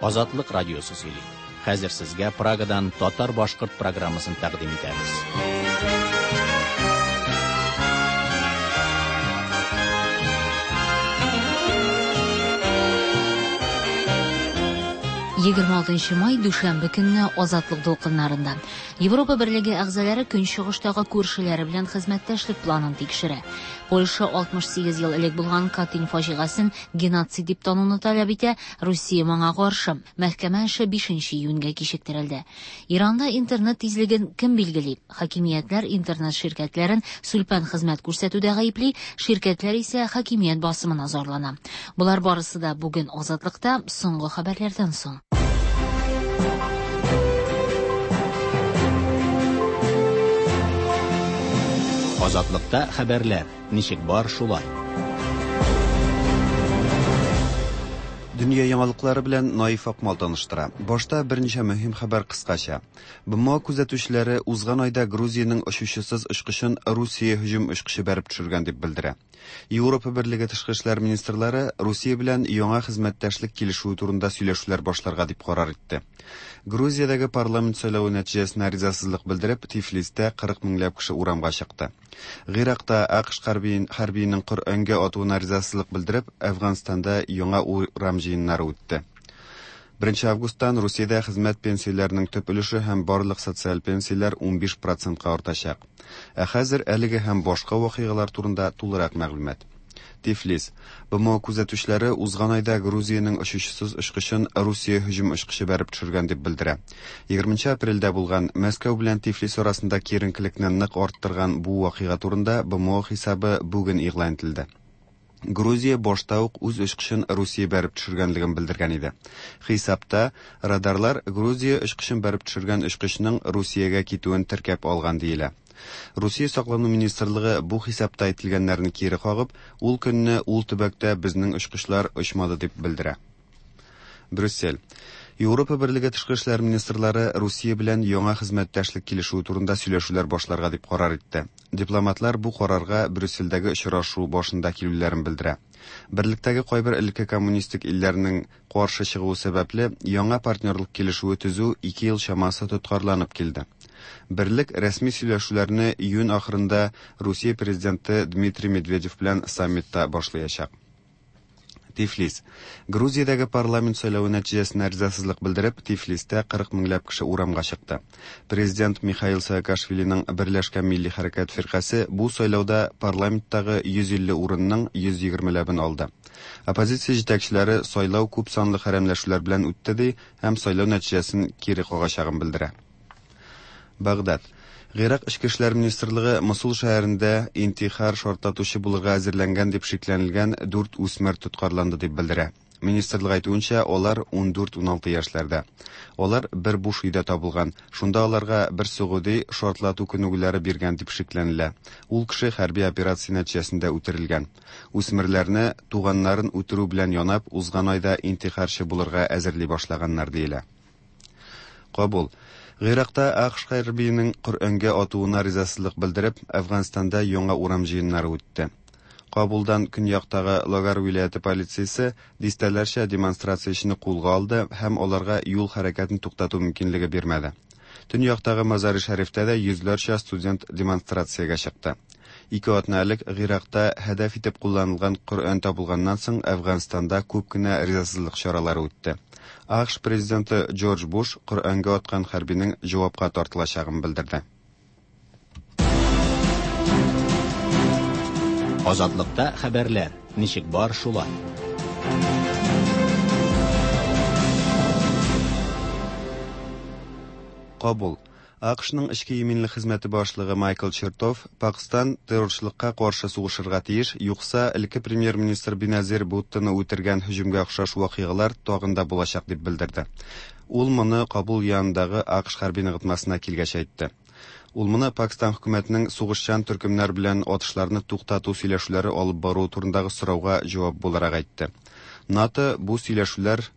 Азатлык радиосы сөйли. Хәзер сезгә Прагадан татар-башкорт программасын тәкъдим итәбез. 26 май дүшәмбе көнне Азатлык дулкыннарында. Европа Берлеге әгъзалары көнчыгыштагы күршеләре белән хезмәттәшлек планын тикшерә. Польша 68 ел элек булган Катынь фаҗигасен геноцид дип тануны таләп итә, Русия моңа каршы. Мәхкәмә эше 5 июньгә кичектерелде. Иранда интернет тизлеген кем билгели? Хакимиятләр интернет ширкәтләрен сүлпән хезмәт күрсәтүдә гаепли, ширкәтләр исә хакимият басымына зарлана. Болар барысы да бүген Азатлыкта соңгы хәбәрләрдән соң. Азатлыкта хәбәрләр ничек бар шулай. Дөнья яңалыклары белән Наиф Акмал таныштыра. Башта берничә мөһим хәбәр кыскача. БМО күзәтүчеләре узган айда Грузиянең очучысыз очкычын Русия һөҗүм очкычы бәреп төшергән дип белдерә. Европа Берлеге тышкы эшләр министрлары Русия белән яңа хезмәттәшлек килешүе турында сөйләшүләр башларга дип карар итте. Грузиядәге парламент сайлавы нәтиҗәсенә ризасызлык белдереп, Тифлистә 40 меңләп кеше урамга чыкты. Гыйракта АКШ хәрбиенең Коръәнгә атуына ризасызлык белдереп, Әфганстанда яңа урам җыеннары үтте. 1 августтан Русиядә хезмәт пенсияләренең төп өлеше һәм барлык социаль пенсияләр 15 процентка артачак. Ә хәзер әлеге һәм башка вакыйгалар турында тулырак мәгълүмат. Тифлис. БМО күзәтүчеләре узган айда Грузиянең очучысыз очкычын Русия һөҗүм очкычы бәреп төшергән дип белдерә. 20 апрельдә булган Мәскәү белән Тифлис арасында киеренкелекне нык арттырган бу вакыйга турында БМО хисабы бүген игълан ителде. Грузия башта ук үз очкычын Русия бәреп төшергәнлеген белдергән иде. Хисапта радарлар Грузия очкычын бәреп төшергән очкычның Русиягә китүен теркәп алган диелә. Русия саклану министрлыгы бу хисапта әйтелгәннәрне кире кагып, ул көнне ул төбәктә безнең очкычлар очмады дип белдерә. Брюссель. Европа Берлеге тышкы эшләр министрлары Русия белән яңа хезмәттәшлек килешүе турында сөйләшүләр башларга дип карар итте. Дипломатлар бу карарга Брюссельдәге очрашу башында килүләрен белдерә. Берлектәге кайбер элекке коммунистик илләрнең каршы чыгуы сәбәпле, яңа партнерлык килешүе төзү 2 ел чамасы тоткарланып килде. Берлек рәсми сөйләшүләрне июнь ахырында Русия президенты Дмитрий Медведев белән саммитта башлаячак. Тифлис. Грузиядәге парламент сайлавы нәтиҗәсенә ризасызлык белдереп, Тифлистә 40 меңләп кеше урамга чыкты. Президент Михаил Саакашвилиның Берләшкән милли хәрәкәт фиркасе бу сайлауда парламенттагы 150 урынның 120ләбен алды. Оппозиция җитәкчеләре сайлау күп санлы хәрәмләшүләр белән үтте ди һәм сайлау нәтиҗәсен кире кагачагын белдерә. Багдад. Гыйрак эчке эшләр министрлыгы Мосул шәһәрендә интихар шартлатучы булырга әзерләнгән дип шикләнелгән 4 үсмер тоткарланды дип белдерә. Министрлык әйтүенчә, алар 14-16 яшьләрдә. Алар бер буш өйдә табылган. Шунда аларга бер согуди шартлату күнегүләре биргән дип шикләнелә. Ул кеше хәрби операция нәтиҗәсендә үтерелгән. Үсмерләрне туганнарын үтерү белән янап, узган айда интихарчы булырга әзерли башлаганнар диелә. Кабул. Гыйракта АКШ хәрбиенең Коръәнгә атуына ризасызлык белдереп, Әфганстанда яңа урам җыеннары үтте. Кабулдан көньяктагы Логар вилаяте полициясе дистәләрчә демонстрациячене кулга алды һәм аларга юл хәрәкәтен туктату мөмкинлеге бирмәде. Төньяктагы Мазари-Шәрифтә дә йөзләрчә студент демонстрациягә чыкты. Ике атна элек Гыйракта һәдәф итеп кулланылган Коръән табылганнан соң Әфганстанда күп кенә ризасызлык чаралары үтте. АКШ президенты Джордж Буш Коръәнгә аткан хәрбинең җавапка тартылачагын белдерде. Азатлыкта хәбәрләр ничек бар шулай. Кабул. АКШның эчке иминлек хезмәте башлыгы Майкл Чертов Пакстан террорчылыкка каршы сугышырга тиеш, юкса элекке премьер-министр Беназир Буттоны үтергән һөҗүмгә охшаш вакыйгалар тагын да булачак дип белдерде. Ул моны Кабул янындагы АКШ хәрби ныгытмасына килгәч әйтте. Ул моны Пакстан хөкүмәтенең сугышчан төркемнәр белән атышларны туктату сөйләшүләре алып баруы турындагы сорауга җавап буларак әйтте. НАТО бу сөйләшүләр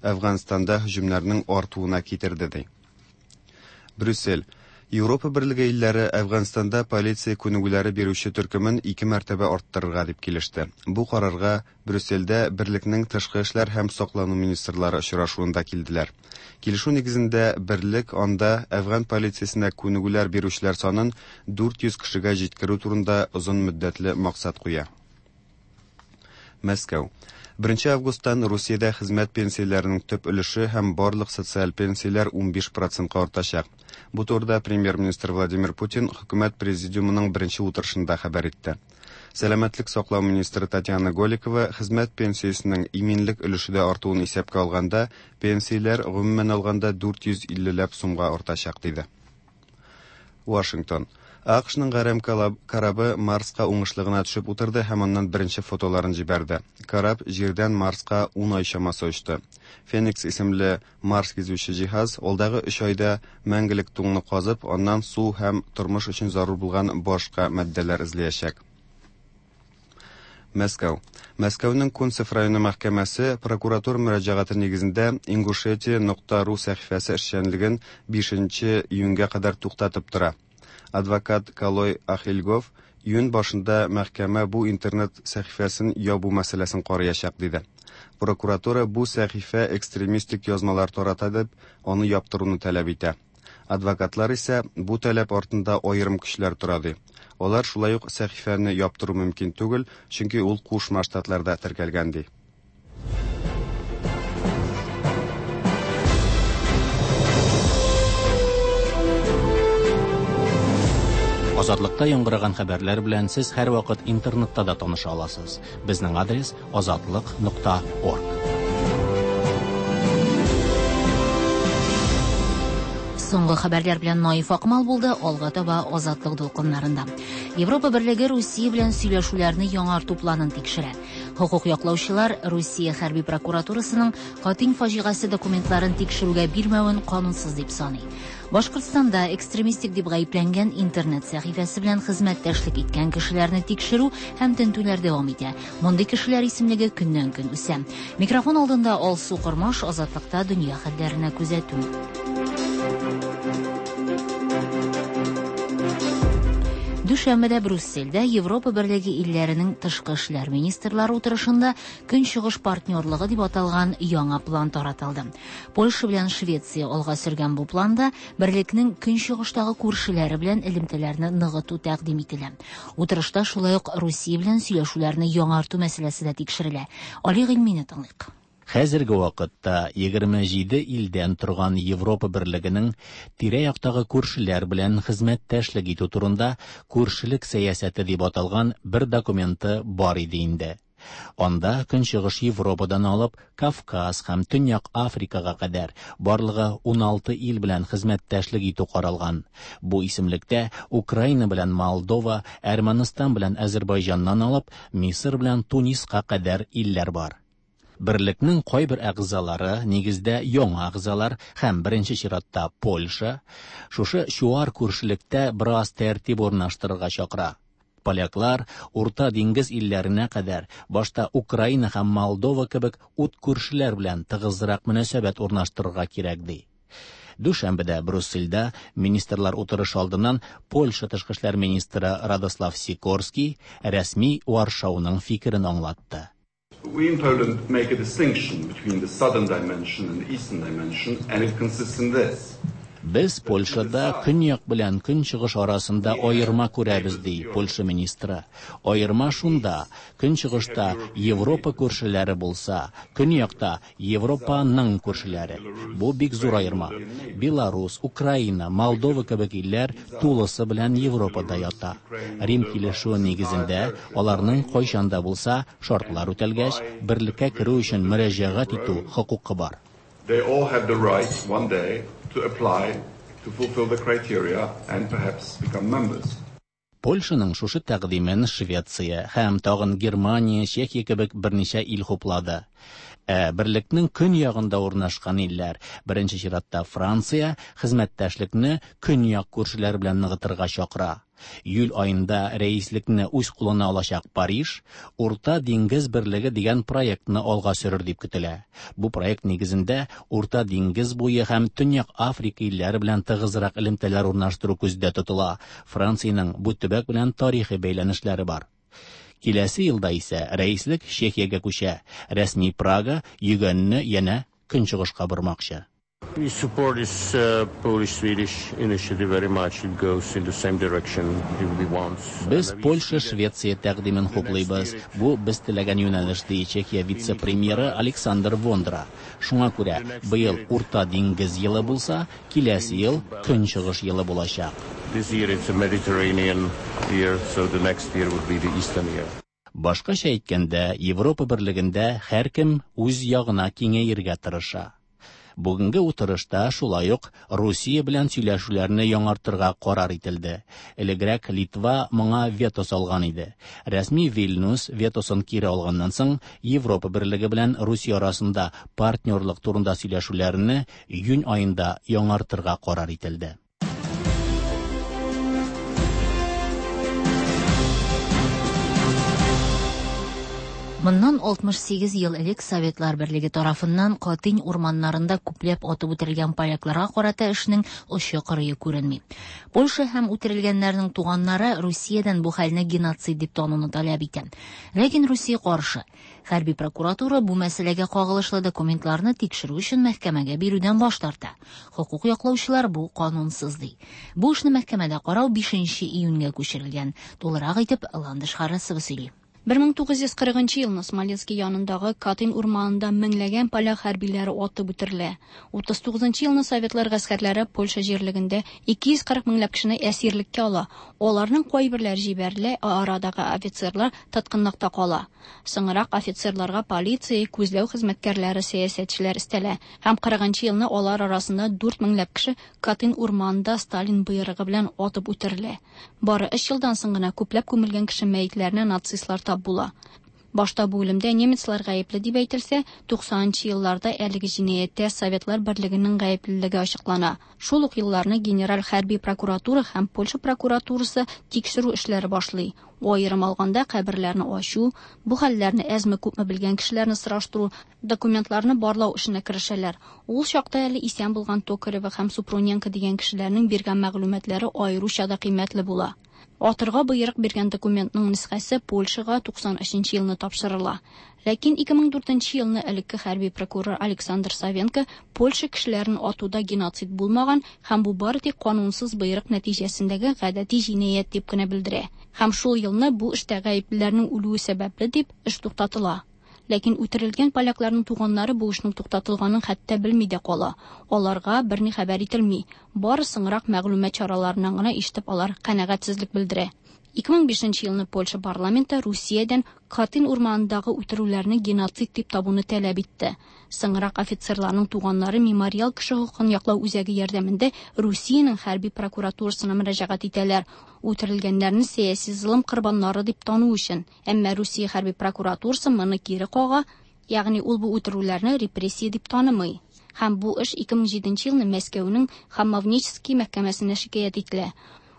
Әфганстанда һөҗүмнәрнең артуына китерде ди. Брюссель. Европа Берлеге илләре Әфганстанда полиция күнегүләре бирүче төркемен ике мәртәбә арттырырга дип килеште. Бу карарга Брюссельдә Берлекнең тышкы эшләр һәм саклану министрлары очрашуында килделәр. Килешү нигезендә Берлек анда әфган полициясенә күнегүләр бирүчеләр санын 400 кешегә җиткерү турында озын мөддәтле максат куя. Мәскәү. 1 августтан Русиядә хезмәт пенсияләренең төп өлеше һәм барлык социаль пенсияләр 15 процентка артачак. Бу турыда премьер-министр Владимир Путин хөкүмәт президиумының беренче утырышында хәбәр итте. Сәламәтлек саклау министры Татьяна Голикова хезмәт пенсиясенең иминлек өлеше дә артуын исәпкә алганда, пенсияләр гомумән алганда 450 ләп сумга артачак, диде. Вашингтон. АКШның гарәм корабы Марска уңышлы гына төшеп утырды һәм аннан беренче фотоларын җибәрде. Кораб Җирдән Марска 10 ай чамасы очты. Феникс исемле Марс гизүче җиһаз алдагы 3 айда мәңгелек туңны казып, аннан су һәм тормыш өчен зарур булган башка матдәләр эзләячәк. Мәскәү. Мәскәүнең Кунцев районы мәхкәмәсе прокуратура мөрәҗәгате нигезендә Ингушетия.ру сәхифәсе эшчәнлеген 5 июньгә кадәр туктатып тора. Адвокат Калой Ахильгов июнь башында мәхкәмә бу интернет сәхифәсен ябу мәсьәләсен караячак диде. Прокуратура бу сәхифә экстремистик язмалар тарата дип, аны яптыруны таләп итә. Адвокатлар исә бу таләп артында аерым көчләр тора ди. Алар шулай ук сәхифәне яптыру мөмкин түгел, чөнки ул Кушма Штатларда теркәлгән ди. Азатлыкта яңгыраган хәбәрләр белән сез һәрвакыт интернетта да таныша аласыз. Безнең адрес azatliq.org. Соңгы хәбәрләр белән Наиф Акмал булды, алга таба Азатлык дулкыннарында. Европа Берлеге Русия белән сөйләшүләрне яңарту планын тикшерә. Хокук яклаучылар Русия хәрби прокуратурасының Катынь фаҗигасе документларын тикшерүгә бирмәвен канунсыз дип саный. Башкортстанда экстремистик дип гаепләнгән интернет сәхифәсе белән хезмәттәшлек иткән кешеләрне тикшерү һәм тентүләр дәвам итә. Мондый кешеләр исемлеге көннән-көн үсә. Микрофон алдында Алсу Кормаш, Азатлыкта дөнья хәлләренә күзәтү. Дүшәмбедә Брюссельдә Европа Берлеге илләренең тышкы эшләр министрлары утырышында Көнчыгыш партнерлыгы дип аталган яңа план таратылды. Польша белән Швеция алга сөргән бу планда берлекнең көнчыгыштагы күршеләре белән элемтәләрне ныгыту тәкъдим ителә. Утырышта шулай ук Русия белән сөйләшүләрне яңарту мәсьәләсе дә тикшерелә. Али Гыйльмине тыңлыйк. Хәзерге вакытта 27 илдән торган Европа Берлегенең тирә-яктагы күршеләр белән хезмәттәшлек итү турында күршелек сәясәте дип аталган бер документы бар иде инде. Анда Көнчыгыш Европадан алып Кавказ һәм Төньяк Африкага кадәр барлыгы 16 ил белән хезмәттәшлек итү каралган. Бу исемлектә Украина белән Молдова, Әрмәнстан белән Әзербайҗаннан алып Мисыр белән Туниска кадәр илләр бар. Берлекнең кайбер әгъзалары, нигездә яңа әгъзалар һәм беренче чиратта Польша, шушы чуар күршелектә бераз тәртип урнаштырырга чакыра. Поляклар Урта диңгез илләренә кадәр башта Украина һәм Молдова кебек ут күршеләр белән тыгызрак мөнәсәбәт урнаштырырга кирәк ди. Дүшәмбедә Брюссельдә министрлар утырышы алдыннан Польша тышкы эшләр министры Радослав Сикорский рәсми Варшауның фикерен аңлатты. We in Poland make a distinction between the southern dimension and the eastern dimension, and it consists in this. Без Польшада көньяк белән көнчыгыш арасында аерма күрәбез, ди Польша министры. Аерма шунда, көнчыгышта Европа күршеләре булса, көньякта Европаның күршеләре. Бу бик зур аерма. Беларус, Украина, Молдова кебек илләр тулысы белән Европада ята. Рим килешүе нигезендә аларның кайчан да булса шартлар үтәлгәч, берлеккә керү өчен мөрәҗәгать итү хокукы бар. They all have the right one day to apply to fulfill the criteria and perhaps become members. Польшаның шушы тәкъдимен Швеция һәм тагын Германия, Чехия кебек берничә ил хуплады. Ә берлекнең көньягында урнашкан илләр, беренче чиратта Франция, хезмәттәшлекне көньяк күршеләр белән ныгытырга чакыра. Июль аенда рәислекне үз кулына алачак Париж Урта диңгез берлеге дигән проектны алга сөрер дип көтелә. Бу проект нигезендә Урта диңгез буе һәм Төньяк Африка илләре белән тыгызрак элемтәләр урнаштыру күздә тотыла. Франциянең бу төбәк белән тарихи бәйләнешләре бар. Киләсе елда исә рәислек Чехиягә күчә. Рәсми Прага йөгәнне янә көнчыгышка бормакчы. We support this Polish-Swedish initiative very much. It goes in the same direction we want. Без Польша-Швеция тәкъдимен хуплыйбыз. Бу без теләгән юнәлеш, ди Чехия вице-премьеры Александр Вондра. Шуңа күрә быел Урта диңгез елы булса, киләсе ел Көнчыгыш елы булачак. This year it's a Mediterranean year, so the next year would be the Eastern year. Башкача әйткәндә, Европа берлегендә һәркем үз ягына киңәергә тырыша. Бүгенге утырышта шулай ук Русия белән сөйләшүләрне яңартырга карар ителде. Элегрәк Литва моңа вето салган иде. Рәсми Вильнюс ветосын кире алганнан соң Европа берлеге белән Русия арасында партнерлык турында сөйләшүләрне июнь аенда яңартырга карар ителде. Моннан 68 ел элек Советлар Берлеге тарафыннан Катынь урманнарында күпләп атып үтерелгән полякларга карата эшнең очы-кырые күренми. Польша һәм үтерелгәннәрнең туганнары Русиядән бу хәлне геноцид дип тануны таләп итә. Ләкин Русия каршы. Хәрби прокуратура бу мәсьәләгә кагылышлы документларны тикшерү өчен мәхкәмәгә бирүдән баш тарта. Хокук яклаучылар бу канунсыз ди. Бу эшне мәхкәмәдә карау 5 июньгә күчерелгән. Тулырак итеп Ландыш Харасова сөйли. 1940 елны Смоленский янындагы Катынь урманында меңләгән поляк хәрбиләре атып үтерелә. 39 елны советлар гаскәрләре Польша җирлегендә 240 меңләп кешене әсирлеккә ала. Аларның кайберләре җибәрелә, ә арадагы офицерлар тоткынлыкта кала. Соңрак офицерларга полиция, күзләү хезмәткәрләре, сәясәтчеләр өстәлә. Һәм 40 елны алар арасында 4 меңләп кеше Катынь урманында Сталин боерыгы белән атып үтерелә. Бары 3 елдан соң гына күпләп күмелгән кеше мәетләренә нацистлар тап була. Башта бу үлемдә немецлар гаепле дип әйтелсә, 90 елларда әлеге җинаятьтә Советлар Берлегенең гаеплелеге ачыклана. Шул ук елларны Генераль хәрби прокуратура һәм Польша прокуратурасы тикшерү эшләре башлый. Аерым алганда каберләрне ачу, бу хәлләрне әзме-күпме белгән кешеләрне сораштыру, документларны барлау эшенә керешәләр. Ул чакта әле исән булган Токарева һәм Супруненко дигән кешеләрнең биргән мәгълүматлары аеруча да кыйммәтле була. Атырга боерык биргән документның нөсхәсе Польшага 93 елны тапшырыла. Ләкин 2004 елны элекке хәрби прокурор Александр Савенко Польша кешеләрен атуда геноцид булмаган һәм бу бары тик канунсыз боерык нәтиҗәсендәге гадәти җинаять дип кенә белдерә. Һәм шул елны бу эштә гаеплеләрнең үлүе сәбәпле дип эш туктатыла. Ләкин үтерелгән полякларның туганнары бу эшнең туктатылганын хәтта белми дә кала. Аларга берни хәбәр ителми. Бары соңрак мәгълүмат чараларыннан гына ишетеп алар канәгатьсезлек белдерә. 2005 елны Польша парламенты Русиядән Катынь урманындагы үтерүләрне геноцид дип табуны таләп итте. Соңрак офицерларның туганнары Мемориал кеше хокукын яклау үзәге ярдәмендә Русиянең хәрби прокуратурасына мөрәҗәгать итәләр. Үтерелгәннәрне сәяси золым корбаннары дип тану өчен. Әмма Русия хәрби прокуратурасы моны кире кага, ягъни ул бу үтерүләрне репрессия дип танымый. Һәм бу эш 2007 елны Мәскәүнең Хамовнический мәхкәмәсенә шикаять ителә.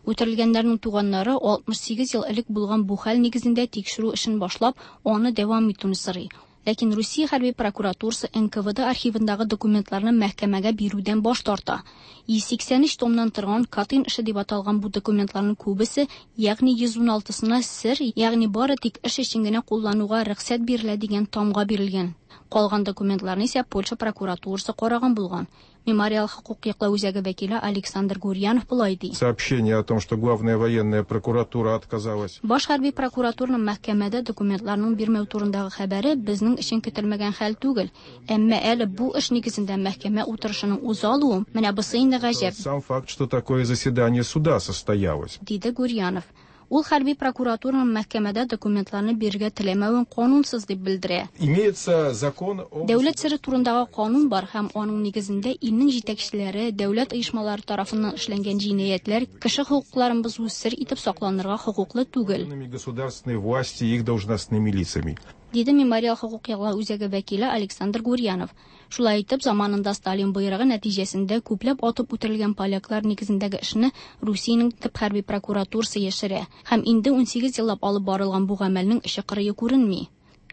Үтерелгәннәрнең туганнары 68 ел элек булган бу хәл нигезендә тикшерү эшен башлап, аны дәвам итүне сорый. Ләкин Русия хәрби прокуратурасы НКВД архивындагы документларны мәхкәмәгә бирүдән баш тарта. 183 томнан торган Катынь эше дип аталган бу документларның күбесе, ягъни 116-сына сер, ягъни бары тик эш өчен генә куллануга рөхсәт бирелә дигән тамга бирелгән. Калган документларны исә Польша прокуратурасы караган булган. Мемориал хокук яклау үзәге вәкиле Александр Гурьянов болай ди. Сообщение о том, что главная военная прокуратура отказалась. Баш хәрби прокуратураның мәхкәмәдә документларның бирмәү турындагы хәбәре безнең өчен көтелмәгән хәл түгел. Әмма әле бу эш нигезендә мәхкәмә утырышының уза алуы, менә бусы инде гаҗәп. Сам факт, что такое заседание суда состоялось, диде Гурьянов. Ул хәрби прокуратураның мәхкәмәдә документларны бирергә теләмәвен канунсыз дип белдерә. Имеется закон о Дәүләт сере турындагы канун бар һәм аның нигезендә илнең җитәкчеләре, дәүләт оешмалары тарафыннан эшләнгән җинаятьләр кеше хокукларын бозу сер итеп сакланырга хокуклы түгел. Государственной власти и их должностными лицами. диде Мемориал хокук яклау үзәге вәкиле Александр Гурьянов. Шулай итеп, заманында Сталин боерыгы нәтиҗәсендә күпләп атып үтерелгән поляклар нигезендәге эшне Русиянең төп хәрби прокуратурасы яшерә һәм инде 18 еллап алып барылган бу гамәлнең очы-кырые күренми.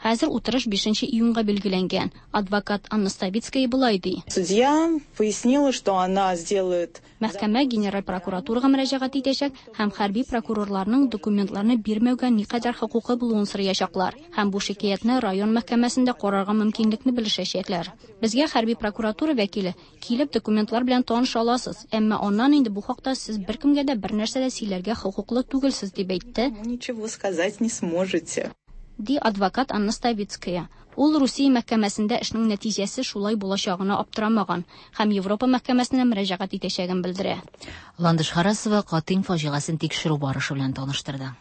Хәзер утырыш 5 июньгә билгеләнгән. Адвокат Анна Ставицкая болай ди. Судья пояснила, что она сделает Мәхкәмә генераль прокуратурага мөрәҗәгать итәчәк һәм хәрби прокурорларның документларны бирмәүгә никадәр хокукы булуын сораячаклар һәм бу шикаятьне район мәхкәмәсендә карарга мөмкинлекне белешәчәкләр. Безгә хәрби прокуратура вәкиле килеп документлар белән таныша аласыз, әмма аннан инде бу хакта сез беркемгә дә бер нәрсә дә сөйләргә хокуклы түгелсез дип әйтте. Ничего сказать не сможете. Ди адвокат Анна Ставицкая. Ул Русия мәхкәмәсендә эшнең нәтиҗәсе шулай булачагына аптырамаган һәм Европа мәхкәмәсенә мөрәҗәгать итәчәген белдерә. Ландыш Харасова Катынь фаҗигасын тикшерү барышы белән таныштырды.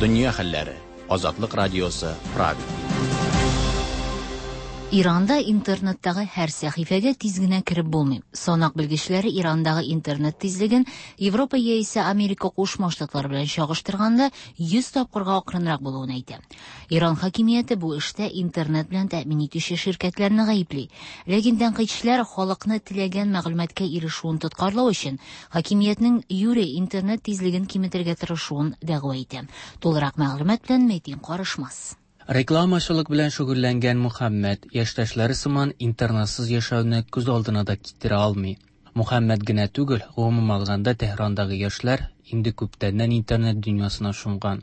Дөнья хәлләре. Азатлык радиосы, Прага. Иранда интернеттагы һәр сәхифәгә тиз генә кереп булмый. Санак белгечләре Ирандагы интернет тизлеген Европа яисә Америка Кушма Штатлары белән чагыштырганда 100 тапкырга акрынрак булуын әйтә. Иран хакимияте бу эштә интернет белән тәэмин итүче ширкәтләрне гаепли. Ләкин тәнкыйтьчеләр халыкны теләгән мәгълүматка ирешүен тоткарлау өчен хакимиятнең юри интернет тизлеген киметергә тырышуын дәгъва итә. Тулырак мәгълүмат белән Мәтин Карышмас. Рекламачылык белән шөгыльләнгән Мөхәммәд яшьтәшләре сыман интернетсыз яшәүне күз алдына да китерә алмый. Мөхәммәд генә түгел, гомум алганда Тәһрандагы яшьләр инде күптәннән интернет дөньясына чумган.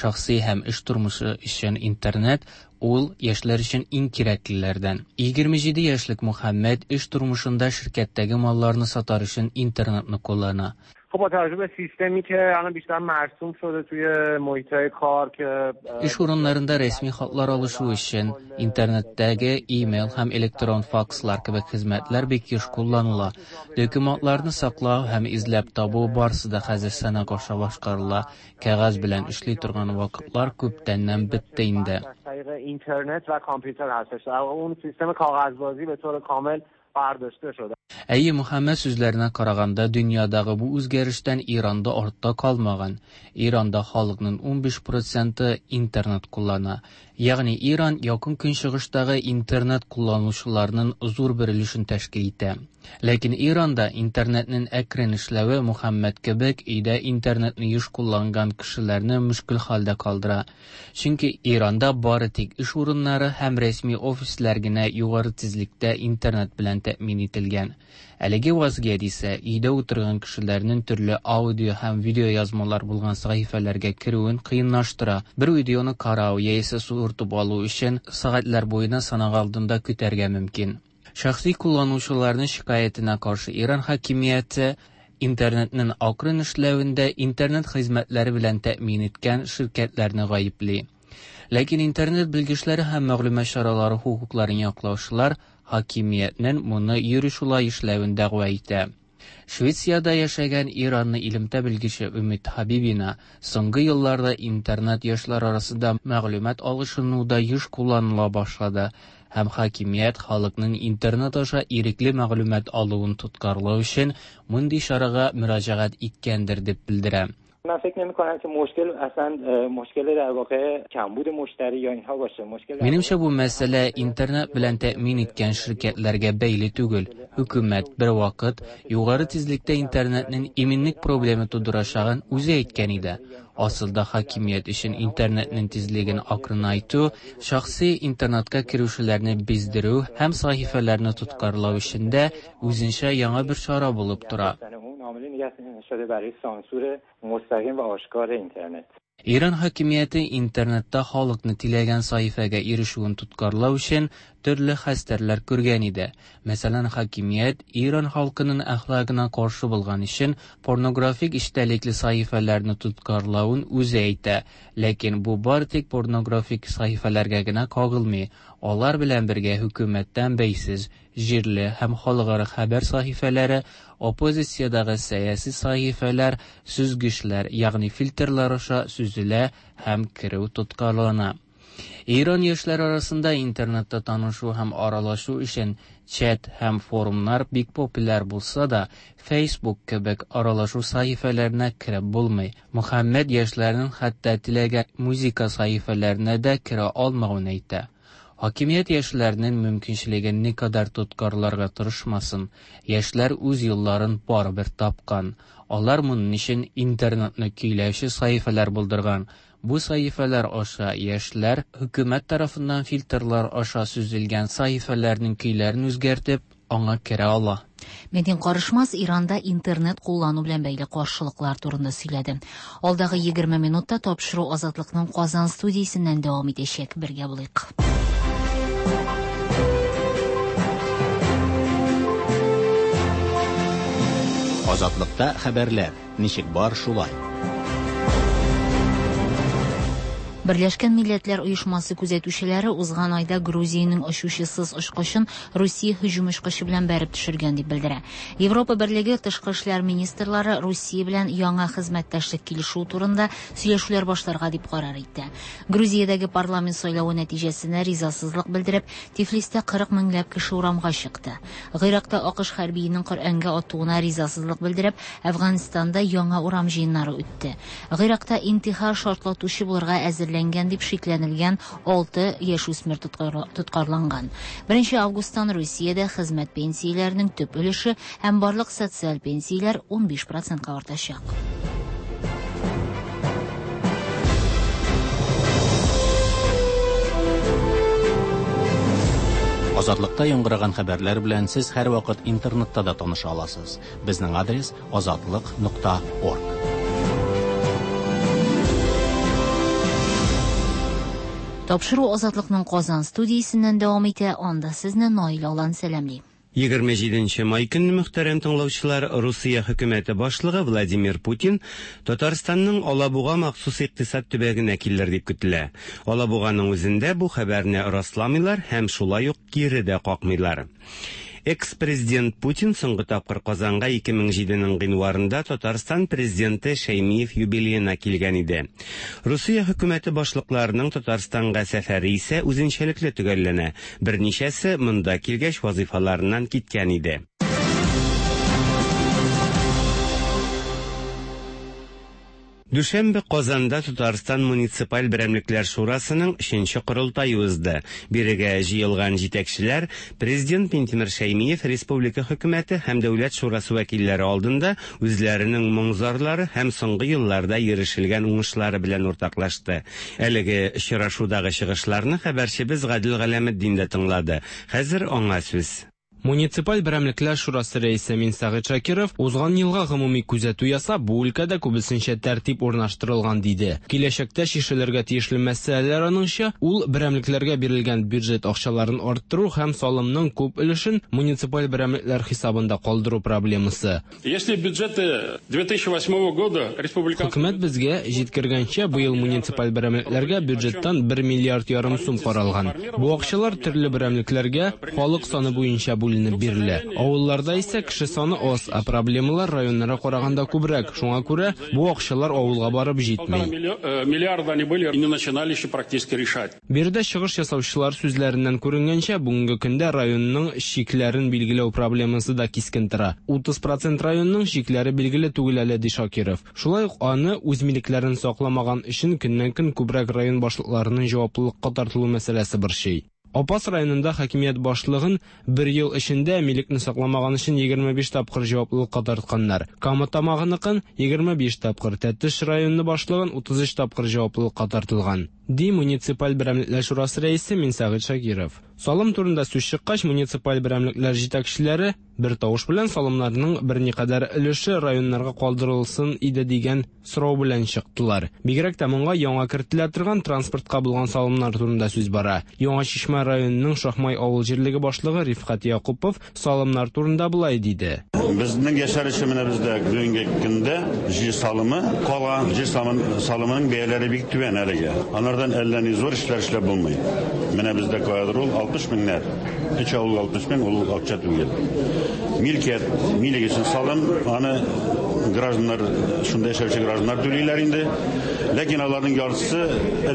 Шәхси һәм эш тормышы өчен интернет ул яшьләр өчен иң кирәклеләрдән. 27 яшьлек Мөхәммәд эш тормышында ширкәттәге малларны сатар өчен интернетны куллана. خب با توجه به سیستمی که الان بیشتر مرسوم شده توی محیط‌های کار که Эш урыннарында рәсми хатлар алышу өчен интернеттәге имейл һәм электрон факслар кебек хезмәтләр бик еш кулланыла. Документларны саклау һәм эзләп табу барысы да хәзер санак аша башкарыла. Кәгазь белән эшли торган вакытлар күптәннән бетте инде. از طریق اینترنت و کامپیوتر هستش. در واقع اون سیستم کاغذبازی به طور کامل برداشته شده. Әйе, Мөхәммәд сүзләренә караганда, дөньядагы бу үзгәрештән Иранда артта калмаган. Иранда халыкның 15% интернет куллана. Ягъни Иран якын көнчыгыштагы интернет кулланучыларның зур бер өлешен тәшкил итә. Ләкин Иранда интернетның әкрен эшләве Мөхәммәд кебек өйдә интернетны еш кулланган кешеләрне мөшкел хәлдә калдыра. Чөнки Иранда бары тик эш урыннары һәм рәсми офислар генә югары тизлектә интернет белән тәэмин ителгән. Әлеге вазгыять исә өйдә утырган кешеләрнең төрле аудио һәм видео язмалар булган сәхифәләргә керүен кыенлаштыра. Бер видеоны карау яисә суыртып алу өчен сәгатьләр буена санак алдында көтәргә мөмкин. Шәхси кулланучыларның шикаятенә каршы Иран хакимияте интернетның акрын эшләвендә интернет хезмәтләре белән тәэмин иткән ширкәтләрне гаепли. Ләкин интернет белгечләре һәм мәгълүмат чаралары хокукларын яклаучылар хакимиятнең моны юри шулай эшләвен дәгъва итә. Швециядә яшәгән Иранны элемтә белгече Өмид Хабибина соңгы елларда интернет яшьләр арасында мәгълүмат алышынуда еш кулланыла башлады һәм хакимият халыкның интернет аша ирекле мәгълүмат алуын тоткарлау өчен мондый чарага мөрәҗәгать иткәндер дип белдерә. من فکر نمی کنم که مشکل اصلا مشکل در واقع کمبود مشتری یا اینها باشه. مشکل Минемчә, бу мәсьәлә интернет белән тәэмин иткән ширкәтләргә бәйле түгел. Хөкүмәт бер вакыт югары тизлектә интернетның иминлек проблемы тудырачагын үзе әйткән иде. Асылда хакимият өчен интернетның тизлеген акрынайту, шәхси интернетка керүчеләрне биздерү һәм сәхифәләрне тоткарлау өчен дә үзенчә яңа бер чара булып тора. اون عاملی نگه شده برای سانسور مستقیم و آشکار اینترنت. Иран хакимияте интернетта халыкны теләгән сәхифәгә ирешүен тоткарлау өчен төрле хәстәрләр күргән иде. Мәсәлән, хакимият Иран халкының әхлагына каршы булган өчен порнографик эчтәлекле сәхифәләрне тоткарлавын үзе әйтә. Ләкин бу бары тик порнографик сәхифәләргә генә кагылмый. Алар белән бергә хөкүмәттән бәйсез җирле һәм халыкара хәбәр сәхифәләре, оппозициядәге сәяси сәхифәләр, сүзгечләр, ягъни фильтрлар аша сүзелә һәм керү тоткарлана. Иран яшьләре арасында интернетта танышу һәм аралашу өчен чат һәм форумнар бик популяр булса да, Facebook кебек аралашу сәхифәләренә кереп булмый. Мөхәммәд яшьләрнең хәтта теләгән музыка сәхифәләренә дә керә алмавын әйтә. Хакимият яшьләрнең мөмкинчелеген никадәр тоткарларга тырышмасын, яшьләр үз юлларын барыбер тапкан. Алар моның өчен интернетны көйләүче сәхифәләр булдырган. Бу сәхифәләр аша яшьләр хөкүмәт тарафыннан фильтрлар аша сөзелгән сәхифәләрнең көйләрен үзгәртеп, аңа керә ала. Мәдин Карышмас Иранда интернет куллану белән бәйле каршылыклар турында сөйләде. Алдагы 20 минутта тапшыру Азатлыкның Казан студиясеннән дәвам итәчәк. Бергә булыйк. Азатлыкта хәбәрләр ничек бар шулай. Берләшкән Милләтләр Оешмасы күзәтүчеләре узган айда Грузиянең очучысыз очкычын Русия һөҗүм очкычы белән бәреп төшергән дип белдерә. Европа Берлеге тышкы эшләр министрлары Русия белән яңа хезмәттәшлек килешүе турында сөйләшүләр башларга дип карар итте. Грузиядәге парламент сайлавы нәтиҗәсенә ризасызлык белдереп, Тифлистә 40 меңләп кеше урамга чыкты. Гыйракта АКШ хәрбиенең Коръәнгә атуына ризасызлык белдереп, Әфганстанда яңа урам җыеннары үтте. Гыйракта интихар шартлатучы булырга әзерләнгән дип шикләнелгән 6 яшүсмер тоткарланган. 1 августтан Русиядә хезмәт пенсияләренең төп өлеше һәм барлык социаль пенсияләр 15%-ка артачак. Азатлыкта яңгыраган хәбәрләр белән сез һәрвакыт интернетта да таныша аласыз. Безнең адрес azatliq.org. Тапшыру Азатлыкның Казан студиясеннән дәвам итә. Анда сезне Наил Алан сәламли. 27 май көнне, мөхтәрәм тыңлаучылар, Русия хөкүмәте башлыгы Владимир Путин Татарстанның Алабуга махсус икътисад төбәгенә килер дип көтелә. Алабуганың үзендә бу хәбәрне расламыйлар һәм шулай ук кире дә какмыйлар. Экс-президент Путин соңгы тапкыр Казанга 2007 гыйнварында Татарстан президенты Шәймиев юбилеена килгән иде. Русия хөкүмәте башлыкларының Татарстанга сәфәре исә үзенчәлекле төгәлләнә. Берничәсе монда килгәч вазифаларыннан киткән иде. Дүшәмбе Казанда Татарстан муниципаль берәмлекләр шурасының 3нче корылтае узды. Бирегә җыелган җитәкчеләр президент Минтимер Шәймиев республика хөкүмәте һәм дәүләт шурасы вәкилләре алдында үзләренең моң-зарлары һәм соңгы елларда ирешелгән уңышлары белән уртаклашты. Әлеге очрашудагы чыгышларны хәбәрчебез Гадел Галәметдин дә тыңлады. Хәзер аңа сүз. Муниципаль берәмлекләр шурасы рәисе Минсәгыйть Шакиров узган елга гомуми күзәтү ясап, бу өлкәдә күбесенчә тәртип урнаштырылган диде. Киләчәктә чишелергә тиешле мәсьәләләр аныңча, ул берәмлекләргә бирелгән бюджет акчаларын арттыру һәм салымның күп өлешен муниципаль берәмлекләр хисабында калдыру проблемасы. Если бюджеты 2008 года республиканский Хөкүмәт безгә җиткергәнчә, быел муниципаль берәмлекләргә бюджеттан 1 миллиард ярым сум каралган. Бу акчалар төрле берәмлекләргә халык саны буенча бүленеп бирелә. Авылларда исә кеше саны аз, ә проблемалар районнарга караганда күбрәк. Шуңа күрә бу акчалар авылга барып җитми. Миллиарда они были и не начинали еще практически решать. Биредә чыгыш ясаучылар сүзләреннән күренгәнчә, бүгенге көндә районның чикләрен билгеләү проблемасы да кискен тора. 30% районның чикләре билгеле түгел әле, ди Шакиров. Шулай ук аны үз милекләрен сакламаган өчен көннән-көн күбрәк район башлыкларының җаваплылыкка тартылу мәсьәләсе борчый. Апас районында хакимият башлыгын бер ел эчендә милекне сакламаган өчен 25 тапкыр җаваплылыкка тартканнар. Кама Тамагыныкын 25 тапкыр, Тәтеш районы башлыгын 33 тапкыр җаваплылыкка тартылган, ди муниципаль берәмлекләр шурасы рәисе Минсәгыйть Шакиров. Салым турында сүз чыккач, муниципаль берәмлекләр җитәкчеләре бер тавыш белән салымнарның берникадәр өлеше районнарга калдырылсын иде дигән сорау белән чыктылар. Бигрәк тә моңа яңа кертелә торган транспортка булган салымнар турында сүз бара. Яңа Чишмә районының Шахмай авыл җирлеге башлыгы Рифкать Якупов салымнар турында болай диде. Безнең яшәр өчен менә бездә бүгенге көндә җир салымы кала, җир салымының бәяләре бик түбән әлегә. Анардан әллә ни зур эшләр эшләп булмый. Менә бездә каядыр ул 60 меңнәр. Өч авыл 60 мең ул акча түгел. Милкият, милек өчен салым, аны гражданнар, шунда яшәүче гражданнар түлиләр инде. Ләкин аларның яртысы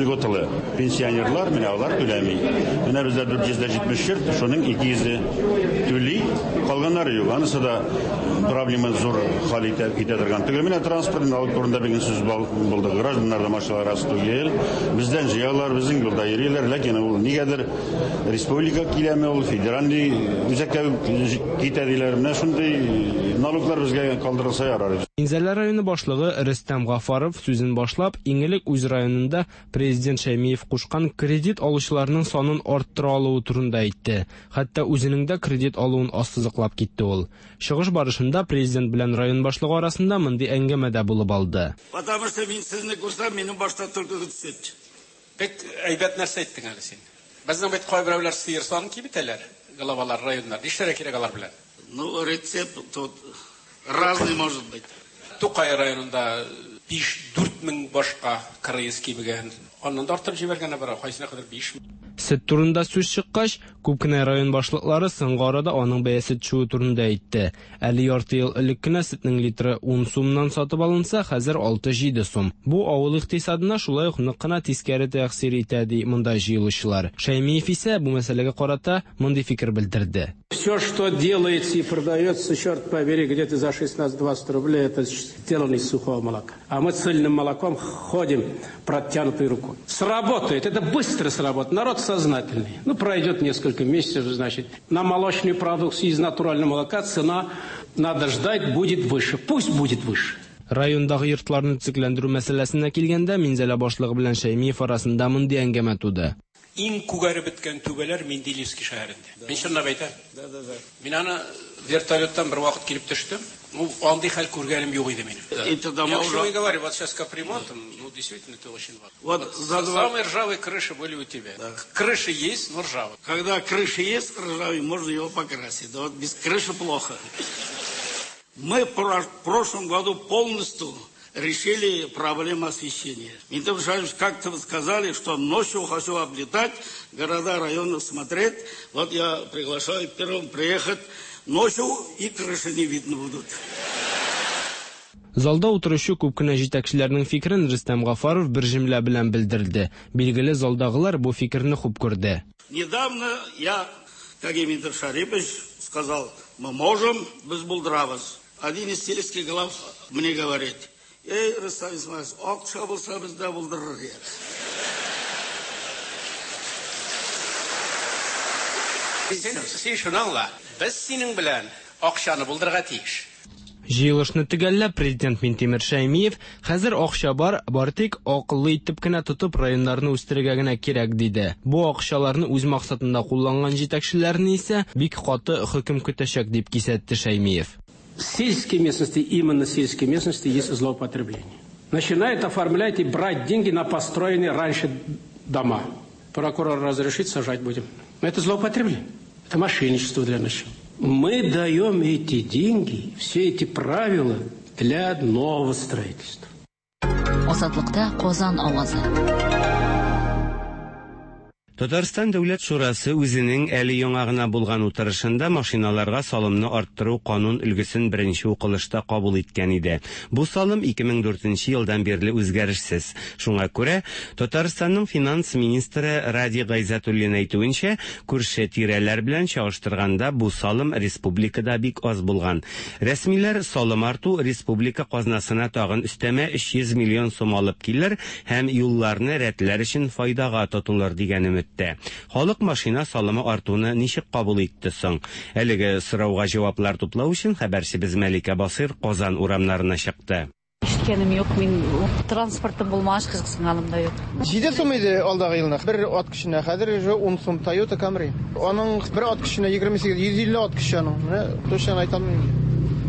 льготалы. Пенсионерлар, менә алар түләми. Менә бездә 470 йорт, шуның 200-е түли, калганнары юк. Анысы да проблема зур хәл итә, итә торган түгел. Менә транспорт налог турында бүген сүз булды. Гражданнарда машиналар аз түгел. Бездән җыялар, безнең юлда йөриләр, ләкин ул нигәдер республика киләме ул, федеральный үзәккә китә диләр. Менә шундый налоглар безгә калдырылса ярар. Минзәлә районы башлыгы Рөстәм Гафаров сүзен башлап, иң элек үз районында Президент Шәймиев кушкан кредит алучыларның санын арттыра алуы турында әйтте. Хәтта үзенең дә кредит алуын ассызыклап китте ул. Чыгыш барышында Президент белән район башлыгы арасында мондый әңгәмә дә булып алды. Потому что мин сезне күрсәм, минем башта төлке төшә. Бик әйбәт нәрсә әйттең әле син. Безнең бит кайберәүләр сыер санын киметәләр, главалар районнар. Нишләргә кирәк алар белән? Ну, рецепт тут разный может быть. Тукай районында 5-4 мең башка КРС кимегән. Аннан да арттырып җибәргәннәр бар, кайсына кадәр 5 Сөт турында сүз чыккач, күп кенә район башлыклары соңгы арада аның бәясе төшүе турында әйтте. Әле ярты ел элек кенә сөтнең литры 10 сумнан сатып алынса, хәзер 6-7 сум. Бу авыл икътисадына шулай ук нык кына тискәре тәэсир итә, ди монда җыелучылар. Шәймиев исә бу мәсьәләгә карата мондый фикер белдерде. Все, что делается и продается, черт побери, где-то за 16-20 рублей, это сделано из сухого молока. А мы цельным молоком ходим протянутой рукой. Сработает, это быстро сработает. Народ сознательный. Ну, пройдет несколько месяцев, значит, на молочную продукцию из натурального молока цена, надо ждать, будет выше. Пусть будет выше. Райондагы йортларны төзекләндерү мәсьәләсенә килгәндә, Минзәлә башлыгы белән Шәймиев арасында мондый әңгәмә туды. Иң күгәреп беткән түбәләр Менделеевский шәһәрендә. Мин чынлап әйтәм. Мин аны вертолеттан бер вакыт килеп төштем. Ну, андый хәл күргәнем юк иде минем. Это дома Я к чему уже- и говорю, вот сейчас капремонтом, ну, действительно, это очень важно. Вот за два- Самые ржавые крыши были у тебя. Крыши есть, но ржавые. Когда крыша есть ржавый, можно его покрасить. Да вот без крыши плохо. Мы в прошлом году полностью решили проблему освещения. Минтимер Шарипович, как-то вы сказали, что ночью хочу облетать, города, районы смотреть. Вот я приглашаю первым приехать ночью, и крыши не видно будут. Залда утыручы күп кенә җитәкчеләрнең фикерен Рөстәм Гафаров бер җөмлә белән белдерде. Билгеле, залдагылар бу фикерне хуп күрде. Недавно я, как и Минтимер Шарипович, сказал, мы можем, без булдырабыз. Один из сельских глав мне говорит, эй, Рустам Исмаилович, акча булса без дә булдырыр идек. Син шуны аңла, без синең белән акчаны булдырырга тиеш. Җыелышны төгәлләп, Президент Минтимер Шәймиев, хәзер акча бар, бары тик акыллы итеп кенә тотып районнарны үстерергә генә кирәк, диде. Бу акчаларны үз максатында кулланган җитәкчеләрне исә бик каты хөкем көтәчәк, дип кисәтте Шәймиев. В сельской местности, именно сельской местности, есть злоупотребление. Начинают оформлять и брать деньги на построенные раньше дома. Прокурор разрешит, сажать будем. Но это злоупотребление. Это мошенничество для начала. Мы даем эти деньги, все эти правила для нового строительства. Азатлыкта Казан авазы. Татарстан Дәүләт шурасы үзенең әле яңа гына булган утырышында машиналарга салымны арттыру канун өлгесен беренче укылышта кабул иткән иде. Бу салым 2004 елдан бирле үзгәрешсез. Шуңа күрә Татарстанның финанс министры Ради Гайзатуллин әйтүенчә, күрше тирәләр белән чагыштырганда бу салым республикада бик аз булган. Рәсмиләр салым арту республика казнасына тагын өстәмә 300 миллион сум алып килер һәм юлларны рәтләр өчен файдага тотылыр дигән өметтә. Халык машина салымы артуны ничек кабул итте соң? Әлеге сорауга җаваплар туплау өчен хәбәрчебез Мәликә Басыр Казан урамнарына чыкты. Ишеткәнем юк, мин транспортым булмагач кызыксынганым да юк. 7 сум иде алдагы елны. Бер ат көченә, хәзер уже 10 сум Toyota Camry. Аның бер ат көченә 28, 150 ат көче аның. Менә точно әйтә алмыйм.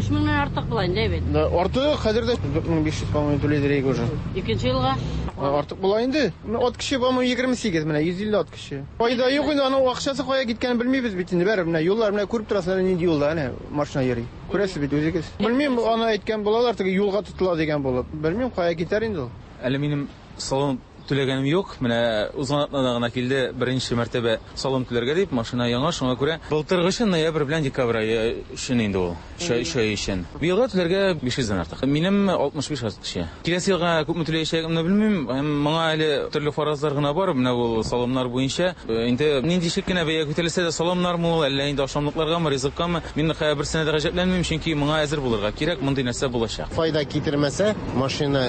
3 меңнән артык була инде бит. Да, артык хәзер дә 4500, по-моему, түләйдер иде уже. Икенче елга? Артык була инде. Ат көче, по-моему, 28, менә 150 ат көче. Файда юк инде, аның акчасы кая киткәнен белмибез бит инде. Бәрбер менә юллар менә күреп торасызлар, нинди юлда әнә машина йөри. Күрәсез бит үзегез. Белмим, аны әйткән булалар, теге юлга тотыла дигән булып. Белмим, кая китәр инде ул. Әле минем салон түләгәнем юк. Менә узган атнада гына килде беренче мәртәбә салым түләргә дип, машина яңа, шуңа күрә былтыргы өчен ноябрь белән декабрь ае өчен инде ул. Өч ай өчен. Быелга түләргә 500 дән артык. Минем 65 ат кеше. Киләсе елга күпме түләячәгемне белмим. Һәм моңа әле төрле фаразлар гына бар. Менә ул салымнар буенча. Инде нинди чик кенә бәя күтәрелсә дә, салымнармы ул, әллә инде ашамлыкларгамы, ризыккамы, мин берсенә дә гаҗәпләнмим, чөнки моңа әзер булырга кирәк, мондый нәрсә булачак. Файда китермәсә, машина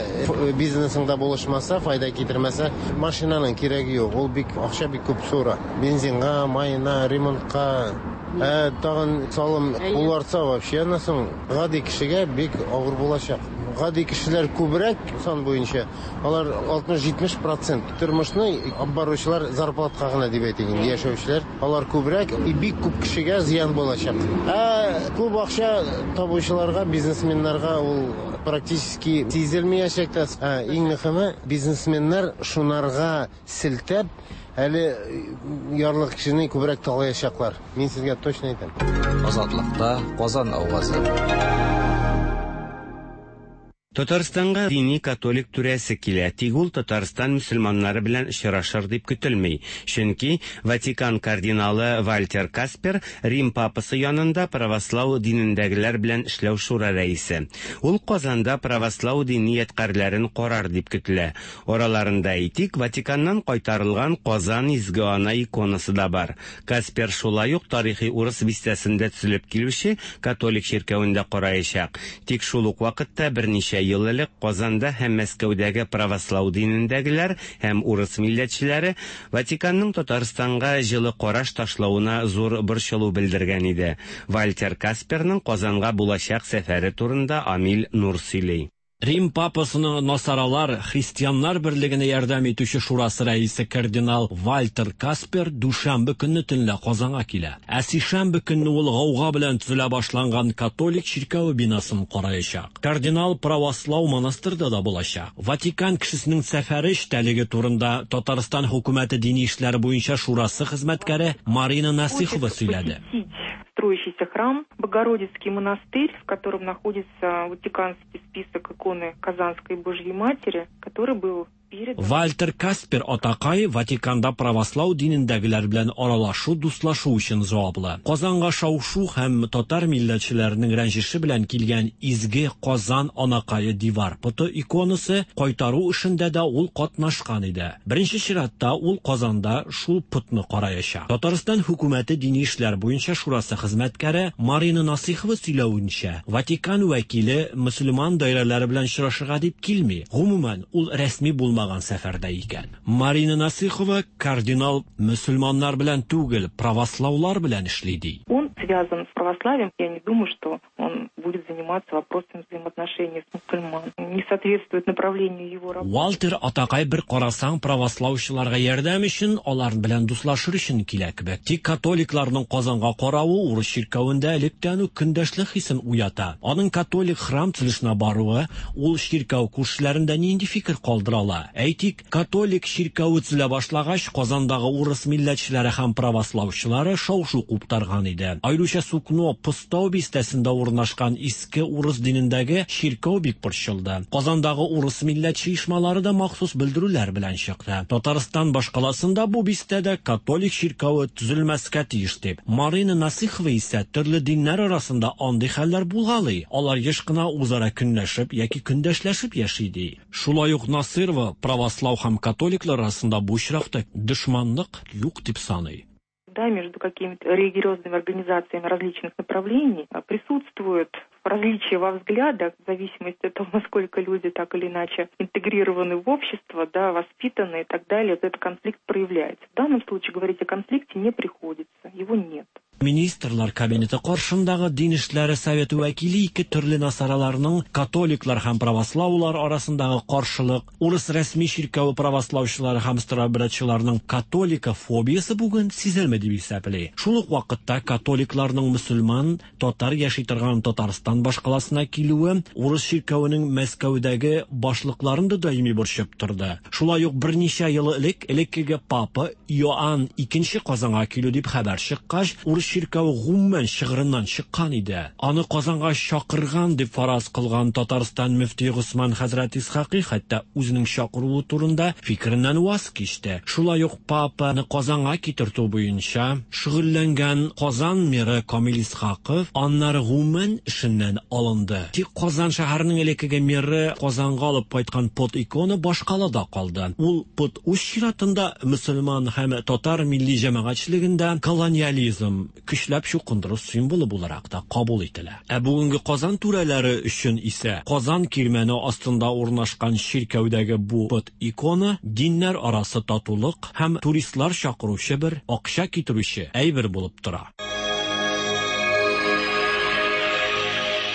бизнесыңда булышмаса, файда китермәсә, машинаның кирәге юк. Ул бик акча бик күп сора. Бензинга, маена, ремонтка, ә тагын салым ул артса вообще аннан соң гади кешегә бик авыр булачак. Гади кешеләр күбрәк сан буенча, алар 60-70 процент тормышны алып баручылар зарплатка гына дип әйтик инде яшәүчеләр, алар күбрәк и бик күп кешегә зыян булачак. Ә күп акча табучыларга, бизнесменнарга ул практически сизелмәячәк тә. Ә иң мөһиме, бизнесменнар шунарга селтәп, әле ярлы кешене күбрәк талаячаклар. Мин сезгә точно әйтәм. Азатлыкта Казан авазы. Татарстанга дини католик түрәсе килә, тик ул Татарстан мөселманнары белән очрашыр дип көтелми. Чөнки Ватикан кардиналы Вальтер Каспер Рим папасы янында правослау динендәгеләр белән эшләү шура рәисе. Ул Казанда правослау дини ядкарьләрен карар дип көтелә. Араларында, әйтик, Ватиканнан кайтарылган Казан Изге Ана иконасы да бар. Каспер шулай ук тарихи урыс бистәсендә төзелеп килүче католик чиркәвен дә караячак. Тик шул ук вакытта берничә ел элек Казанда һәм Мәскәүдәге правослау динендәгеләр һәм урыс милләтчеләре Ватиканның Татарстанга җылы караш ташлавына зур борчылу белдергән иде. Вальтер Касперның Казанга булачак сәфәре турында Амил Нур сөйли. Рим папасының насаралар христианнар берлегенә ярдәм итүче шурасы рәисе кардинал Вальтер Каспер дүшәмбе көнне төнлә Казанга килә. Ә сишәмбе көнне ул гауга белән төзелә башланган католик чиркәве бинасын караячак. Кардинал правослау монастырьда да булачак. Ватикан кешесенең сәфәре эчтәлеге турында Татарстан хөкүмәте дини эшләр буенча шурасы хезмәткәре Марина Насыхова сөйләде. Строящийся храм, Богородицкий монастырь, в котором находится Ватиканский список иконы Казанской Божьей Матери, который был передан... Вальтер Каспер атакай Ватиканда правослау динендәгеләр белән аралашу, дуслашу өчен җаваплы. Казанга шау-шу һәм татар милләтчеләренең рәнҗеше белән килгән изге Казан анакае дивар поты иконасы кайтару эшендә дә ул катнашкан иде. Беренче чиратта ул Казанда шул потны караячак. Татарстан хөкүмәте дини эшләр буенча шурасы хезмәткәре Марина Насыйхова сөйләвенчә, Ватикан вәкиле мөселман даирәләре белән очрашырга дип килми. Гомумән, ул рәсми булмаган сәфәрдә икән. Марина Насыйхова кардинал мөселманнар белән түгел, правослаулар белән эшли ди. Он связан с православием. Я не думаю, что он будет заниматься вопросами взаимоотношений с мусульман. Не соответствует направлению его работы. Вальтер атакай бер карасаң правослаучыларга ярдәм өчен, алар белән дуслашыр өчен килә кебек. Тик католикларның Казанга каравы урыс чиркәвендә электән үк көндәшлек хисен уята. Аның католик храм төзелешенә баруы ул чиркәү күршеләрендә нинди фикер калдыра ала? Әйтик, католик чиркәве төзелә башлагач, Казандагы урыс милләтчеләре һәм правослаучылары шау-шу куптарган иде. Аеруча Сукно Постау бистәсендә урнашкан иске урыс динендәге чиркәү бик борчылды. Казандагы урыс милләтче оешмалары да махсус белдерүләр белән чыкты. Татарстан башкаласында бу бистәдә католик чиркәве төзелмәскә тиеш дип. Марина Насыйхова исә төрле диннәр арасында андый хәлләр булгалый. Алар еш кына үзара көнләшеп яки көндәшләшеп яши ди. Шулай ук Насыйрова правослау һәм католиклар арасында бу очракта дошманлык юк дип саный. Да, между какими-то религиозными организациями различных направлений присутствует различия во взглядах, в зависимости от того, насколько люди так или иначе интегрированы в общество, да, воспитаны и так далее, этот конфликт проявляется. В данном случае говорить о конфликте не приходится, его нет. Министрлар кабинеты каршындагы дин эшләре советы вәкиле ике төрле насараларның католиклар һәм правослаулар арасындагы каршылык, урыс рәсми чиркәве правослаучылары һәм старообрядчыларның католикофобиясе бүген сизелми дип исәпли. Шул ук вакытта католикларның мөселман, татар яши торган Татарстанда Татарстан башкаласына килүе урыс чиркәвенең Мәскәүдәге башлыкларын да даими борчып торды. Шулай ук берничә ел элек элеккеге папа Иоанн II Казанга килү дип хәбәр чыккач, урыс чиркәве гомумән чыгырыннан чыккан иде. Аны Казанга чакырган дип фараз кылган Татарстан мөфтие Госман хәзрәт Исхакый хәтта үзенең чакыруы турында фикереннән ваз кичте. Шулай ук папаны Казанга китертү буенча шөгыльләнгән Казан мэры Камил Исхаков аннары гомумән эшеннән алынды. Тик Казан шәһәренең элеккеге мэры Казанга алып кайткан пот икона башкалада калды. Ул пот үз чиратында мөселман һәм татар милли җәмәгатьчелегендә колониализм, көчләп чукындыру символы буларак та кабул ителә. Ә бүгенге Казан түрәләре өчен исә Казан кирмәне астында урнашкан чиркәүдәге бу пот икона диннәр арасы татулык һәм туристлар чакыручы бер акча китерүче әйбер булып тора.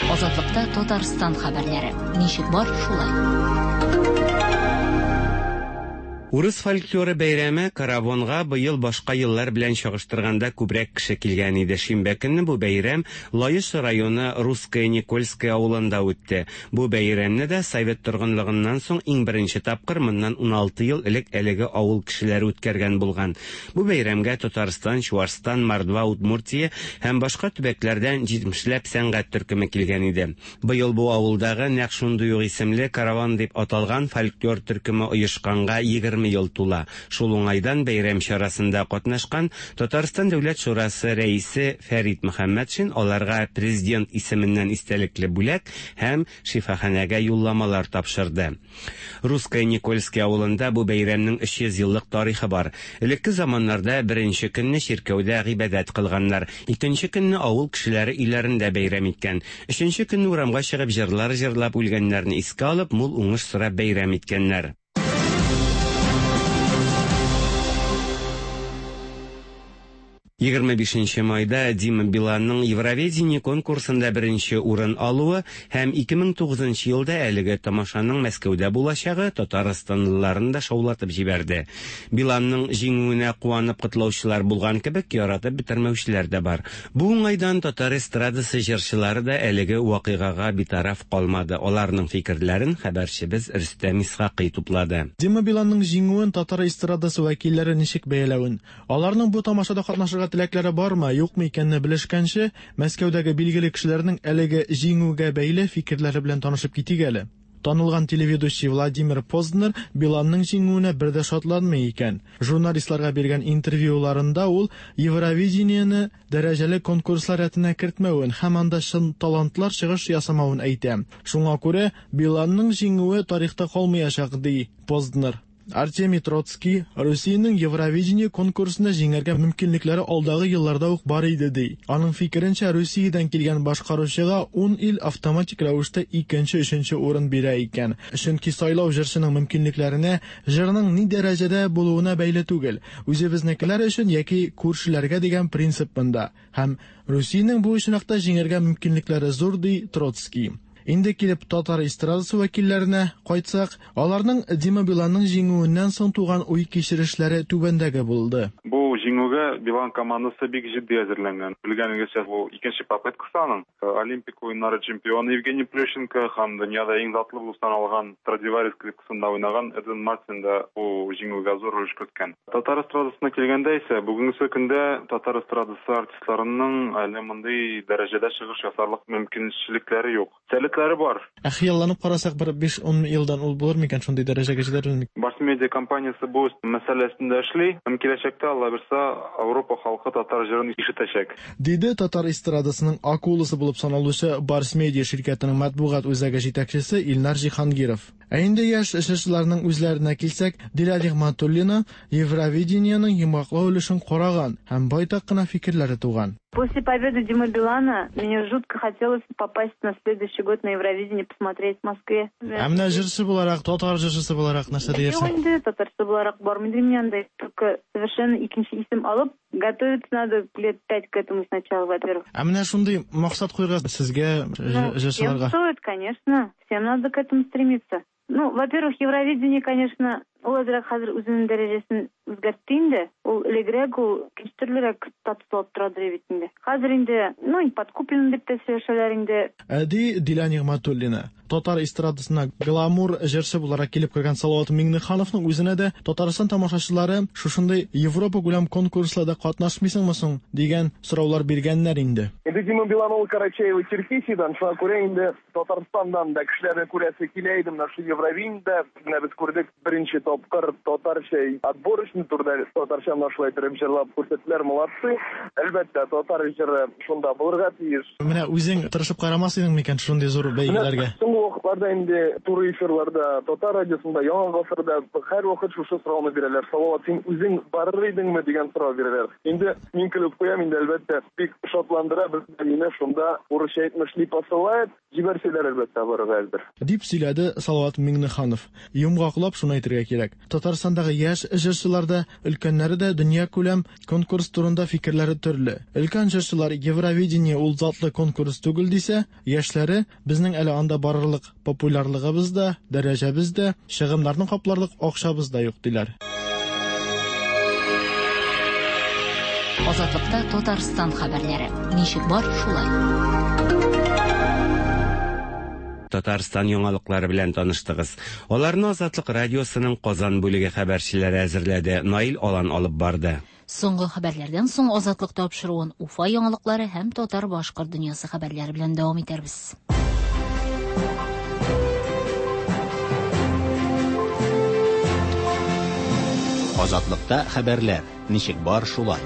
Азатлыкта Татарстан хәбәрләре. Ничек бар, шулай. Урыс фольклоры бәйрәме Каравонга быел башка еллар белән чагыштырганда күбрәк кеше килгән иде. Шимбә көнне бу бәйрәм Лаеш районы Русское Никольское авылында үтте. Бу бәйрәмне дә совет торгынлыгыннан соң иң беренче тапкыр моннан 16 ел элек әлеге авыл кешеләре үткәргән булган. Бу бәйрәмгә Татарстан, Чуашстан, Мордва, Удмуртия һәм башка төбәкләрдән 70ләп сәнгать төркеме килгән иде. Быел бу авылдагы нәкъ шундый ук исемле Караван дип аталган фольклор төркеме оешканга 20 ел тула. Шул уңайдан бәйрәм чарасында катнашкан Татарстан Дәүләт шурасы рәисе Фәрит Мөхәммәтшин аларга президент исеменнән истәлекле бүләк һәм шифаханәгә юлламалар тапшырды. Русское Никольский авылында бу бәйрәмнең 300 еллык тарихы бар. Элекке заманнарда беренче көнне чиркәүдә гыйбадәт кылганнар, икенче көнне авыл кешеләре өйләрендә бәйрәм иткән. Өченче көнне урамга чыгып җырлар җырлап, үлгәннәрне искә алып, мул уңыш сорап бәйрәм иткәннәр. 25 майда Дима Биланның Евровидение конкурсында беренче урын алуы һәм 2009 елда әлеге тамашаның Мәскәүдә булачагы татарстанлыларын да шаулатып җибәрде. Биланның җиңүенә куанып котлаучылар булган кебек, яратып бетермәүчеләр дә бар. Бу уңайдан татар эстрадасы җырчылары да әлеге вакыйгага битараф калмады. Аларның фикерләрен хәбәрчебез Рөстәм Исхакый туплады. Дима Биланның җиңүен татар эстрадасы вәкилләре ничек бәяләвен, аларның бу тамашада катнашырга теләкләре бармы, юкмы икәнне белешкәнче, Мәскәүдәге билгеле кешеләрнең әлеге җиңүгә бәйле фикерләре белән танышып китик әле. Танылган телеведущий Владимир Познер Биланның җиңүенә бер дә шатланмый икән. Журналистларга биргән интервьюларында ул Евровидениене дәрәҗәле конкурслар рәтенә кертмәвен һәм анда чын талантлар чыгыш ясамавын әйтә. Шуңа күрә Биланның җиңүе тарихта калмаячак, ди Познер. Артемий Троцкий Русиянең Евровидение конкурсында җиңәргә мөмкинлекләре алдагы елларда ук бар иде, ди. Аның фикеренчә, Русиядән килгән башкаручыга 10 ил автоматик рәвештә икенче, өченче урын бирә икән. Чөнки сайлау җырчының мөмкинлекләренә, җырның ни дәрәҗәдә булуына бәйле түгел. Үзебезнекеләр өчен яки күршеләргә дигән принцип монда. Һәм Русиянең бу очракта җиңәргә мөмкинлекләре зур, ди Троцкий. Инде килеп татар эстрадасы вәкилләренә кайтсак, аларның Дима Биланның җиңүеннән соң туган уй-кичерешләре түбәндәге булды. Бу җиңүгә Билан командасы бик җитди әзерләнгән. Белгәнегезчә, бу икенче попыткасы аның. Олимпик уеннары чемпионы Евгений Плющенко һәм дөньяда иң затлы булып саналган Страдивари скрипкасында уйнаган Эдвин Мартин да бу җиңүгә зур өлеш керткән. Татар эстрадасына килгәндә исә, бүгенгесе көндә татар эстрадасы артистларының әле мондый дәрәҗәдә чыгыш ясарлык мөмкинчелекләре юк. Сәләтләре бар. Ә хыялланып карасак, бер 5-10 елдан ул булыр микән, шундый дәрәҗәгә җитәр микән? Барс-медиа компаниясе бу мәсьәлә өстендә эшли һәм киләчәктә, Алла бирса, Ауропа халкы татар җырын ишетәчәк. Диде татар эстрадасының акуласы булып саналучы Барс-медиа ширкәтенең матбугат үзәге җитәкчесе Илнар Җиһангиров. Ә инде яшь җырчыларның үзләренә килсәк, Дилә Нигъмәтуллина Евровидениеның йомгаклау өлешен караган һәм байтак кына фикерләре туган. После победы Димы Билана мне жутко хотелось попасть на следующий год на Евровидение, посмотреть в Москве. Ә менә җырчы буларак, татар җырчысы буларак нәрсә диярсең? Юк инде, татарчы буларак бармый инде мин анда. Только совершенно икенче исем алып, готовиться надо лет пять к этому сначала, во-первых. Ә менә шундый максат куярга сезгә, Ну, всем җырчыларга? стоит, конечно. Всем надо к этому стремиться. Ну, во-первых, Евровидение, конечно, ул әзрәк хәзер үзенең дәрәҗәсен үзгәртте инде. Ул элегрәк ул икенче төрлерәк статус алып торадыр бит инде. Хәзер инде, ну, подкуплен дип тә сөйләшәләр инде. Ә ди Дилә Нигъмәтуллина. Татар эстрадасына гламур җырчы буларак килеп кергән Салават Миңнехановның үзенә дә Татарстан тамашачылары шушындый Европа күләм конкурсларда катнашмыйсыңмы соң дигән сораулар биргәннәр инде. Инде Дима Билан ул Карачаево-Черкесиядән, шуңа күрә инде Татарстаннан да кешеләрне күрәсе килә иде. Менә шул Евровидениедә менә без күрдек беренче тапкыр татарча отборочный турда татарча менә шулай итеп җырлап күрсәттеләр, молодцы. Әлбәттә, татар җыры шунда булырга тиеш. Менә үзең тырышып карамас идең микән шундый зур бәйгеләргә? Соңгы вакытларда инде туры эфирларда, татар радиосында, Яңа гасырда һәрвакыт шушы сорауны бирәләр. Салават, син үзең барыр идеңме дигән сорау бирәләр. Инде мин көлеп куям, инде әлбәттә, бик шатландыра безне, мине шунда урысча әйтмешли посылает, җибәрсәләр әлбәттә барырга әзер. Дип сөйләде Салават Миңнеханов. Йомгаклап шуны әйтергә кирәк. Татарстандагы яшь җырчылар да, өлкәннәре дә дөньякүләм конкурс турында фикерләре төрле. Өлкән җырчылар Евровидение ул затлы конкурс түгел дисә, яшьләре безнең әле анда барырлык популярлыгыбыз да, дәрәҗәбез дә, чыгымнарны капларлык акчабыз да юк диләр. Азатлыкта Татарстан хәбәрләре. Ничек бар, шулай. Татарстан яңалыклары белән таныштыгыз. Аларны Азатлык радиосының Казан бүлеге хәбәрчеләре әзерләде. Наил Алан алып барды. Соңгы хәбәрләрдән соң Азатлык тапшыруын Уфа яңалыклары һәм татар-башкорт дөньясы хәбәрләре белән дәвам итәрбез. Азатлыкта хәбәрләр. Ничек бар, шулай.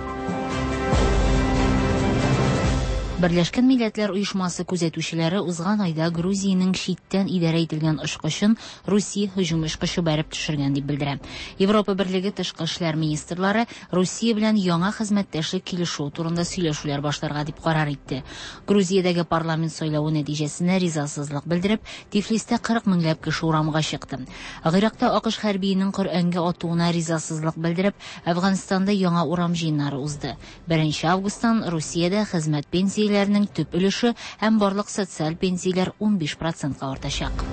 Берләшкән Милләтләр Оешмасы күзәтүчеләре узган айда Грузиянең читтән идарә ителгән очкычын Русия һөҗүм очкычы бәреп төшергән дип белдерә. Европа Берлеге тышкы эшләр министрлары Русия белән яңа хезмәттәшлек килешүе турында сөйләшүләр башларга дип карар итте. Грузиядәге парламент сайлавы нәтиҗәсенә ризасызлык белдереп, Тифлистә 40 меңләп кеше урамга чыкты. Гыйракта АКШ хәрбиенең Коръәнгә атуына ризасызлык белдереп, Әфганстанда яңа урам җыеннары узды. 1 августтан Русиядә хезмәт пенсияләренең төп өлеше һәм барлык социаль пенсияләр 15%-ка артачак.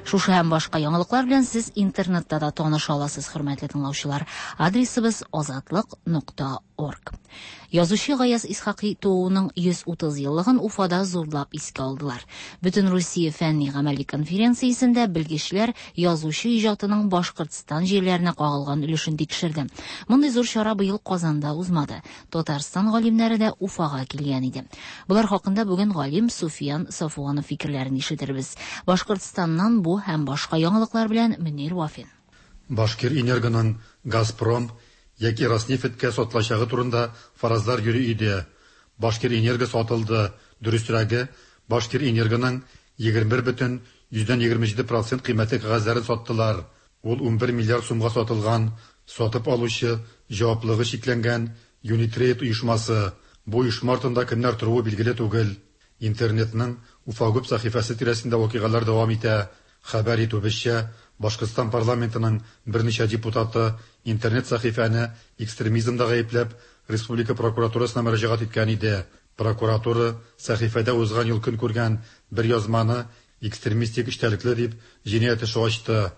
Шушы һәм башка яңалыклар белән сез интернетта да таныша аласыз, хөрмәтле тыңлаучылар. Адресыбыз азатлык.орг. Язучы Гаяз Исхакый тууының 130 еллыгын Уфада зурлап искә алдылар. Бөтен Русия фәнни гамәли конференциясендә белгечләр язучы иҗатының Башкортстан җирләренә кагылган өлешен тикшерде. Мондый зур чара быел Казанда узмады. Татарстан галимнәре дә Уфага килгән иде. Болар хакында бүген галим Суфиян Сафуанов фикерләрен ишетербез. Башкортстаннан бу һәм башка яңалыклар белән Мөнир Вафин. Башкир-Энергоның Газпром яки Роснефтькә сатылачагы турында фаразлар йөри иде. Башкир-Энерго сатылды, дөресрәге, Башкир-Энергоның 21,27 процент кыйммәтле кәгазьләрен саттылар. Ул 11 миллиард сумга сатылган. Сатып алучы җаваплылыгы чикләнгән Юнитрейд оешмасы. Бу оешма артында кемнәр торуы билгеле түгел. Интернетның Уфагуб сәхифәсе тирәсендә вакыйгалар дәвам итә. Хәбәр итүебезчә, Башкортстан парламентының берничә депутаты интернет сәхифәне экстремизмда гаепләп, республика прокуратурасына мөрәҗәгать иткән иде. Прокуратура сәхифәдә узган ел көн күргән бер язманы экстремистик эчтәлекле дип җинаять эше ачты.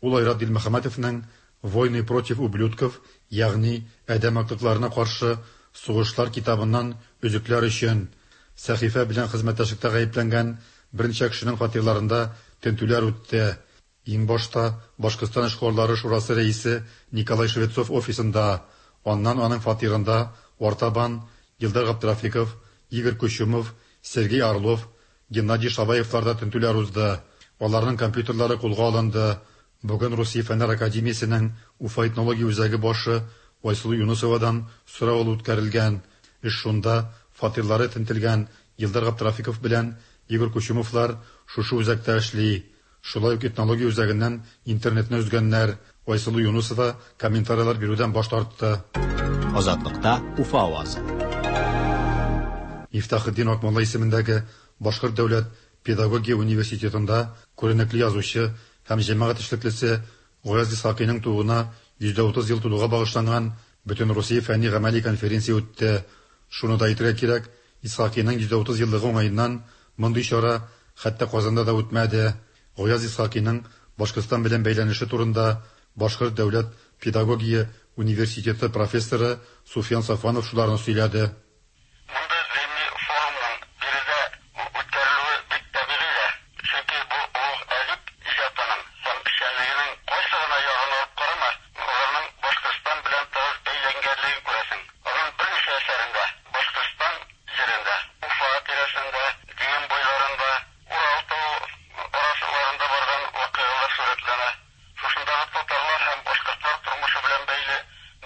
Ул Айрат Дилмөхәммәтовның Войны против ублюдков, ягъни адәм актыкларына каршы сугышлар китабыннан өзекләр өчен сәхифә белән хезмәттәшлектә гаепләнгән берничә кешенең фатирларында тентүләр үтте. Иң башта Башкортстан эшкуарлары шурасы рәисе Николай Швецов офисында, аннан аның фатирында артабан Илдар Габдрафиков, Игорь Кучумов, Сергей Орлов, Геннадий Шабаевларда тентүләр узды. Аларның компьютерлары кулга алынды. Бүген Русия Фәннәр академиясенең Уфа этнология үзәге башы Айсылу Юнысовадан сорау алу үткәрелгән. Эш шунда, фатирлары тентелгән Илдар Габдрафиков белән Игорь Кучумовлар шушы үзәктә эшли. Шулай ук этнология үзәгеннән интернетны өзгәннәр. Айсылу Юнысова комментарийлар бирүдән баш тартты. Азатлыкта Уфа авазы. Мифтахетдин Акмулла исемендәге Башкорт дәүләт педагогия университетында күренекле язучы һәм җәмәгать эшлеклесе Гаяз Исхакыйның тууына 130 ел тулуга багышланган Бөтенрусия фәнни гамәли конференция үтте. Шуны да әйтергә кирәк, Исхакыйның 130 еллыгы уңаеннан мондый чара хәтта Казанда да үтмәде. Гаяз Исхакыйның Башкортстан белән бәйләнеше турында Башкорт дәүләт педагогия университеты профессоры Суфиян Сафуанов шуларны сөйләде. Мондый гыйльми форумның биредә үткәрелүе бик табигый дә, чөнки бу олуг әдип иҗатының һәм эшчәнлегенең кайсы гына ягын алып карама, аларның Башкортстан белән тыгыз бәйләнгәнлеген күрәсең. Аның берничә әсәрендә Башкортстан җирендә, Уфа тирәсендә, Дим буйларында, Урал тавы арасыларында барган вакыйгалар сурәтләнә. Шушындагы татарлар һәм башкортлар тормышы белән бәйле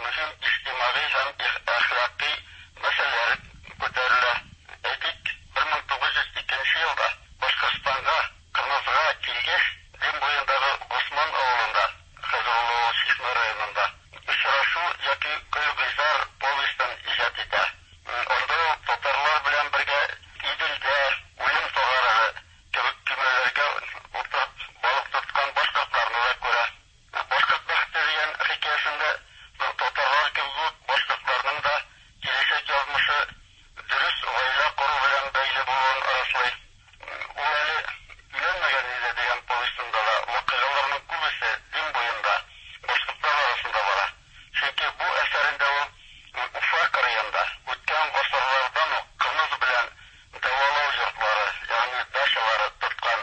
мөһим иҗтимагый һәм әхлакый мәсьәләләр күтәрелә. Әйтик, 1902 нче елда Башкортстанга, Кырмызга килгәч, Дим буендагы Госман авылында, хәзер ул авыл Чишмә районында, Очрашу яки Көлгыйзар повестен иҗат итә. Анда ул татарлар белән бергә Иделдә, Үлем тагарагы кебек көймәләргә утырып балык тоткан башкортларны да күрә. Башкорт бәхете дигән хикәясендә татарлар кебек үк башкортларның да киләчәк язмышы дөрес гаилә кору белән бәйле булуын раслый. Ул әле өйләнмәгән иде дигән повестенда да вакыйгаларның күбесе Дим буенда, башкортлар арасында бара. Чөнки бу әсәрендә ул Уфа кырыенда үткән гасырлардан ук кымыз белән дәвалау йортлары, ягъни дачалары тоткан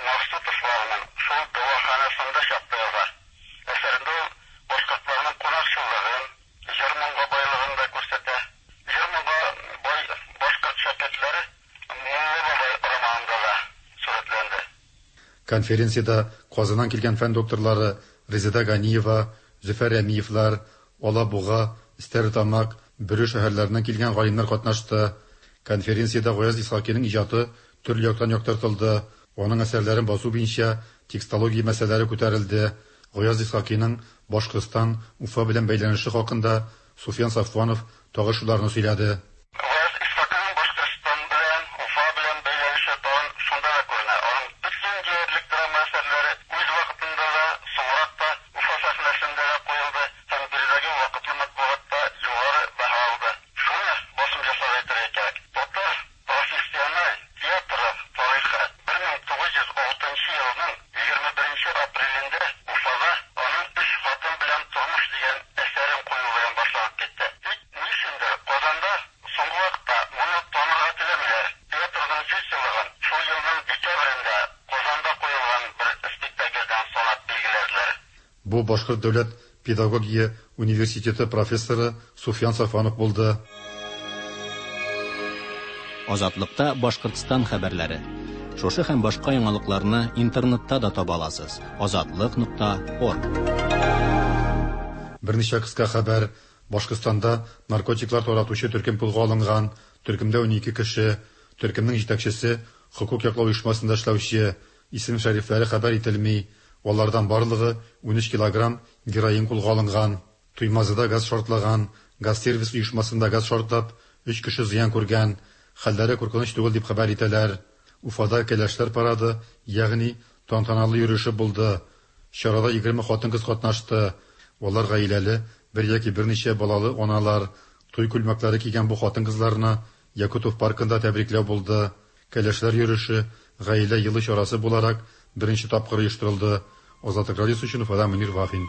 Максутовларның шул дәваханасында чакта яза. Әсәрендә ул башкортларның кунакчыллыгын, җыр-моңга байлыгын да күрсәтә. Җыр-моңга бай башкорт шәкертләре Мулла бабай романында да сурәтләнде. Конференциядә Казаннан килгән фән докторлары Резеда Ганиева, Зөфәр Рәмиевләр, Алабуга, Стәрлетамак, Бөре шәһәрләреннән килгән галимнәр катнашты. Конференциядә Гаяз Исхакыйның иҗаты төрле яктан яктыртылды, аның әсәрләрен басу буенча текстология мәсьәләләре күтәрелде, Гаяз Исхакыйның Башкортстан, Уфа белән бәйләнеше хакында Суфиян Сафуанов тагы шуларны сөйләде. Гаяз Исхакыйның Башкортстан белән, Уфа белән бәйләнеше тагын шунда да күренә, аның бөтен диярлек драма әсәрләре үз вакытында да, соңрак та Уфа сәхнәсендә дә куелды һәм биредәге вакытлы матбугатта югары бәһа алды. Шуны басым ясап әйтергә кирәк, татар профессиональ театры тарихы 1906 нчы елның 21 нче апрелендә Уфада аның Өч хатын белән тормыш дигән әсәрен кую белән башланып китте. Тик, ни өчендер, Казанда соңгы вакытта моны танырга теләмиләр. Театрның 100 еллыгын шул елның декабрендә Казанда куелган бер спектакльдән санап билгеләделәр. Бу Башкорт дәүләт педагогия университеты профессоры Суфиян Сафуанов булды. Азатлыкта Башкортстан хәбәрләре. Шушы һәм башка яңалыкларны интернетта да таба аласыз: азатлык нокта орг. Берничә кыска хәбәр. Башкортстанда наркотиклар таратучы төркем кулга алынган. Төркемдә 12 кеше. Төркемнең җитәкчесе хокук яклау оешмасында эшләүче. Исем-шәрифләре хәбәр ителми. Алардан барлыгы 13 килограмм героин кулга алынган. Туймазыда газ шартлаган. Газсервис оешмасында газ шартлап, өч кеше зыян күргән. Хәлләре куркыныч түгел дип хәбәр итәләр. Уфада кәләшләр парады, ягъни тантаналы йөреше булды. Чарада 20 хатын-кыз катнашты. Алар гаиләле, бер яки берничә балалы аналар. Туй күлмәкләре кигән бу хатын-кызларны Якутов паркында тәбрикләү булды. Кәләшләр йөреше, Гаилә елы чарасы буларак, беренче тапкыр оештырылды. Азатлык радиосы өчен Уфадан Мөнир Вафин.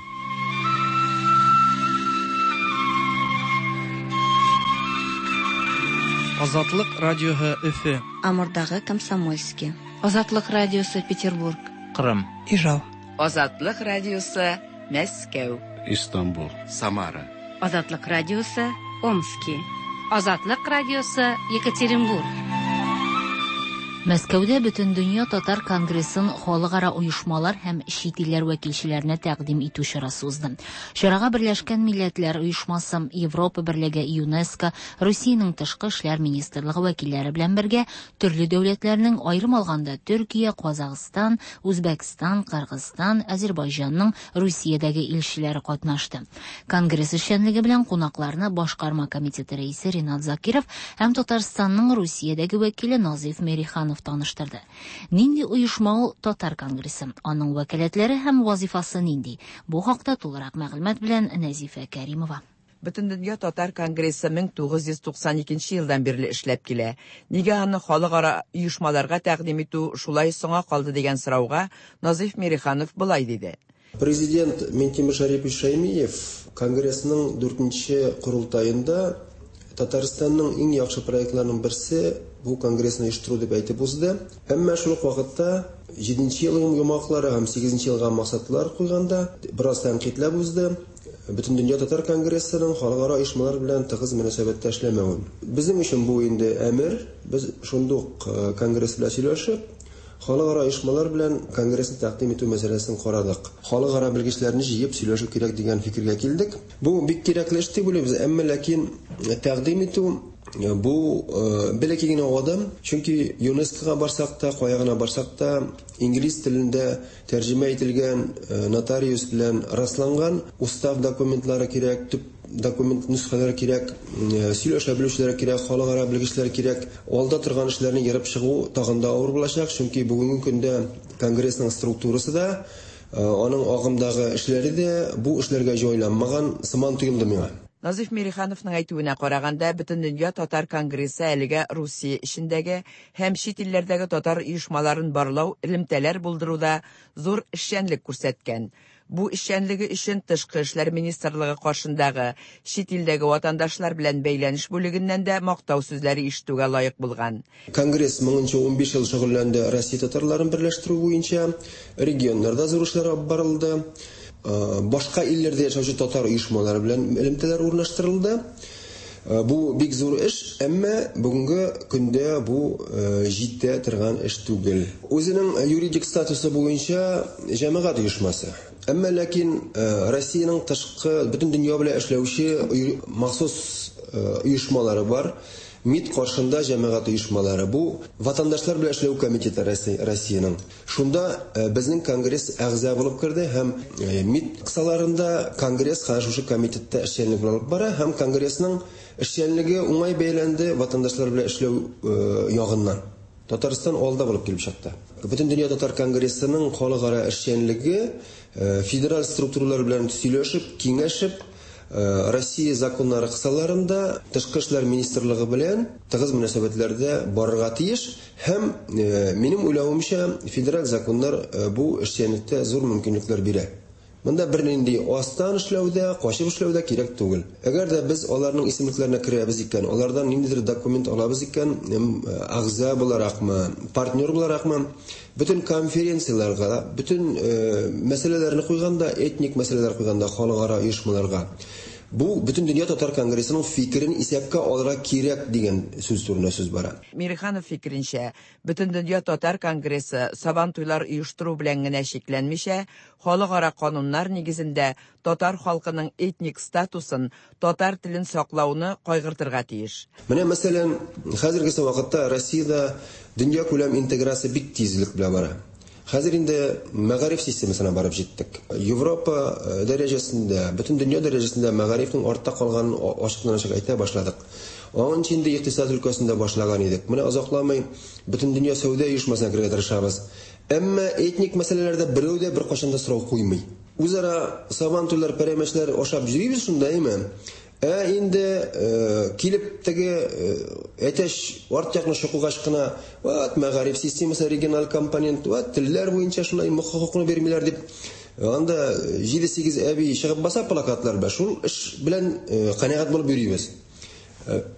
Азатлык радиоһы Өфе. Амурдагы Комсомольски. Азатлык радиосы Петербург. Кырым. Ижау. Азатлык радиосы Мәскәү. Истанбул. Самара. Азатлык радиосы Омски. Азатлык радиосы Екатеринбург. Мәскәүдә Бөтендөнья татар конгрессын халыкара оешмалар һәм чит илләр вәкилчеләренә тәкъдим итү чарасы узды. Чарага Берләшкән Милләтләр Оешмасы, Европа Берлеге, ЮНЕСКО, Русиянең Тышкы эшләр министрлыгы вәкилләре белән бергә төрле дәүләтләрнең, аерым алганда Төркия, Казахстан, Үзбәкстан, Кыргызстан, Әзербайҗанның Русиядәге илчеләре катнашты. Конгресс эшчәнлеге белән кунакларны Башкарма комитеты рәисе Ринат Закиров һәм Татарстанның Русиядәге вәкиле Назыйф Мериханов таныштырды. Нинди оешма ул Татар конгрессы? Аның вәкаләтләре һәм вазифасы нинди? Бу хакта тулырак мәгълүмат белән Нәзифә Кәримова. Бөтендөнья татар конгрессы 1992 елдан бирле эшләп килә. Нигә аны халыкара оешмаларга тәкъдим итү шулай соңа калды дигән сорауга Назыйф Мириханов болай диде. Президент Минтимер Шәрипович Шәймиев Конгрессның дүртенче корылтаенда Татарстанның иң яхшы проектларының берсе бу конгрессны оештыру дип әйтеп узды. Әмма шул ук вакытта җиденче елның йомгаклары һәм сигезенче елга максатлар куйганда бераз тәнкыйтьләп узды. Бөтендөнья татар конгрессының халыкара оешмалар белән тыгыз мөнәсәбәттә эшләмәвен. Безнең өчен бу инде әмер. Без шундук конгресс белән сөйләшеп, халыкара оешмалар белән конгрессны тәкъдим итү мәсьәләсен карадык. Халыкара белгечләрне җыеп сөйләшү кирәк дигән фикергә килдек. Бу бик кирәкле эш дип уйлыйбыз, әмма ләкин тәкъдим итү бу бәләкәй генә адым, чөнки ЮНЕСКОга барсак та, кая гына барсак та, инглиз телендә тәрҗемә ителгән, нотариус белән расланган устав документлары кирәк, төп документ нөсхәләре кирәк, сөйләшә белүчеләр кирәк, халыкара белгечләр кирәк. Алда торган эшләрне ерып чыгу тагын да авыр булачак, чөнки бүгенге көндә Конгрессның структурасы да, аның агымдагы эшләре дә бу эшләргә җайланмаган сыман тоелды миңа. Назыйф Мирихановның әйтүенә караганда, Бөтендөнья татар конгрессы әлегә Русия эчендәге һәм чит илләрдәге татар оешмаларын барлау, элемтәләр булдыруда зур эшчәнлек күрсәткән. Бу эшчәнлеге өчен Тышкы эшләр министрлыгы каршындагы чит илдәге ватандашлар белән бәйләнеш бүлегеннән дә мактау сүзләре ишетүгә лаек булган. Конгресс моңынча 15 ел шөгыльләнде Россия татарларын берләштерү буенча. Регионнарда зур эшләр алып барылды. Башка илләрдә яшәүче татар оешмалары белән элемтәләр урнаштырылды. Бу бик зур эш, әмма бүгенге көндә бу җитә торган эш түгел. Үзенең юридик статусы буенча җәмәгать оешмасы. Әмма ләкин Россиянең тышкы бөтен дөнья белән эшләүче махсус оешмалары бар. МИД каршында җәмәгать оешмалары. Бу ватандашлар белән эшләү комитеты Россиянең. Шунда безнең конгресс әгъза булып керде һәм МИД кысаларында конгресс хәзер шушы комитетта эшчәнлек алып бара һәм конгрессның эшчәнлеге уңай бәяләнде ватандашлар белән эшләү ягыннан. Татарстан алда булып килеп чыкты. Бөтендөнья татар конгрессының халыкара эшчәнлеге федераль структуралар белән сөйләшеп, киңәшеп, Россия законнары кысаларында Тышкы эшләр министрлыгы белән тыгыз мөнәсәбәтләрдә барырга тиеш һәм, минем уйлавымча, федераль законнар бу эшчәнлектә зур мөмкинлекләр бирә. Монда бернинди астан эшләү дә, качып эшләү дә кирәк түгел. Әгәр дә без аларның исемлекләренә керәбез икән, алардан ниндидер документ алабыз икән, әгъза буларакмы, партнер буларакмы, бөтен конференцияләргә, бөтен мәсьәләләрне куйганда, этник мәсьәләләр куйганда халыкара оешмаларга, бу Бөтендөнья татар конгрессының фикерен исәпкә алырга кирәк дигән сүз турында сүз бара. Мириханов фикеренчә, Бөтендөнья татар конгрессы Сабантуйлар оештыру белән генә чикләнмичә, халыкара кануннар нигезендә татар халкының этник статусын, татар телен саклауны кайгыртырга тиеш. Менә, мәсәлән, хәзергесе вакытта Россиядә дөньякүләм интеграция бик тизлек белән бара. Хәзер инде мәгариф системасына барып җиттек. Европа дәрәҗәсендә, бөтен дөнья дәрәҗәсендә мәгарифнең артта калганын ачыктан-ачык әйтә башладык. Аңынчы инде икътисад өлкәсендә башлаган идек. Менә озакламый Бөтендөнья сәүдә оешмасына керергә тырышабыз. Әмма этник мәсьәләләрдә берәү дә беркайчан да сорау куймый. Үзара сабантуйлар, пәрәмәчләр ашап йөрибез шунда, әйме? Ә инде килеп теге әтәч арт якны чокыгач кына, ват, мәгариф системасы региональ компонент, ват, телләр буенча шулай хокукны бирмиләр дип, анда 7-8 әби чыгып баса плакатлар белән, шул эш белән канәгать булып йөрибез.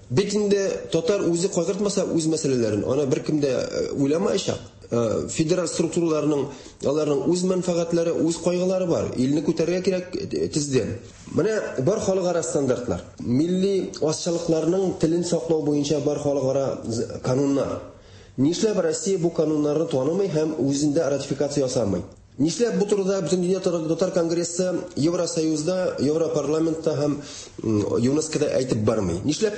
Бит инде татар үзе кайгыртмаса үз мәсьәләләрен, аны беркем дә уйламаячак. Федераль структураларның, аларның үз мәнфәгатьләре, үз кайгылары бар. Илне күтәрергә кирәк тиздән. Менә бар халыкара стандартлар. Милли азчылыкларның телен саклау буенча бар халыкара кануннар. Нишләп Россия бу кануннарны танымый һәм үзендә ратификация ясамый? Нишләп бу турыда Бөтендөнья татар конгрессы Евросоюзда, Европарламентта һәм ЮНЕСКОда әйтеп бармый? Нишләп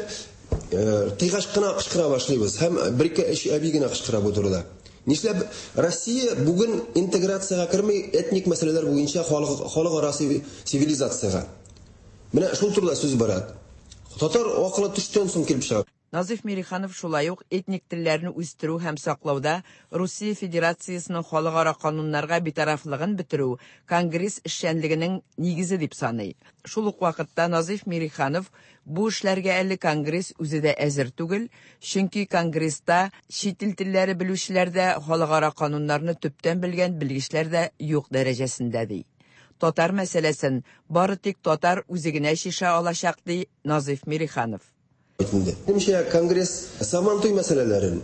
тыйгач кына кычкыра башлыйбыз һәм бер-ике өч әби генә кычкыра бу турыда? Нишләп Россия бүген интеграциягә керми этник мәсьәләләр буенча халыкара цивилизациягә? Менә шул турыда сүз бара. Татар акылы төштән соң килеп чыга. Назыйф Мириханов шулай ук этник телләрне үстерү һәм саклауда Русия Федерациясенең халыкара кануннарга битарафлыгын бетерү Конгресс эшчәнлегенең нигезе дип саный. Шул ук вакытта Назыйф Мириханов бу эшләргә әле Конгресс үзе дә әзер түгел, чөнки Конгресста чит ил телләре белүчеләр дә, халыкара кануннарны төптән белгән белгечләр дә юк дәрәҗәсендә ди. Татар мәсьәләсен бары тик татар үзе генә чишә алачак, ди Назыйф Мириханов. Инде. Минемчә, Конгресс Сабантуй мәсьәләләрен,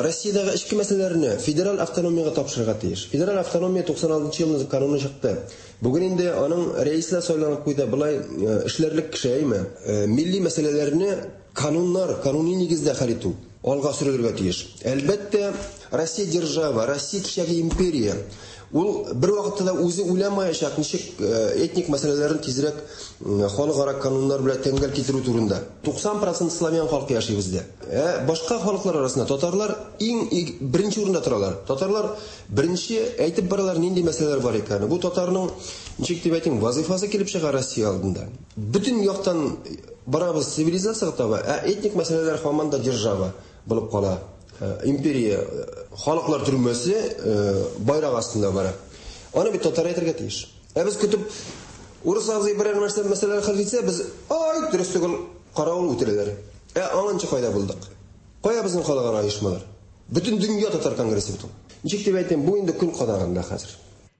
Россиядәге эчке мәсьәләләрне федераль автономиягә тапшырырга тиеш. Федераль автономия 96 нчы елны кануны чыкты. Бүген инде аның рәисе дә сайланып куйды. Болай эшләрлек кеше, әйме? Милли мәсьәләләрне кануннар, кануни нигездә хәл итү алга сөрелергә тиеш. Әлбәттә, Россия держава, Россия кичәге империя. Ул бервакытта да үзе уйламаячак, ничек этник мәсьәләләрен тизрәк халыкара кануннар белән тәңгәл китерү турында. 90 процент славян халкы яши бездә. Ә башка халыклар арасында татарлар иң беренче урында торалар. Татарлар беренче әйтеп баралар нинди мәсьәләләр бар икәнен. Бу татарның, ничек дип әйтим, вазыйфасы килеп чыга Россия алдында. Бөтен яктан барабыз цивилизациягә таба, ә этник мәсьәләләр һаман да держава булып кала. Империя халыклар төрмәсе байрак астында бара. Аны бит татар әйтергә тиеш. Ә без көтеп урыс абзый берәр нәрсә мәсьәләләр хәл итсә, без ай дөрес түгел каравыл үтерәләр. Ә аңынчы кайда булдык? Кая безнең халыкара оешмалар? Бөтен дөнья татар конгрессы бит ул. Ничек дип әйтим, бу инде көн кадагында хәзер.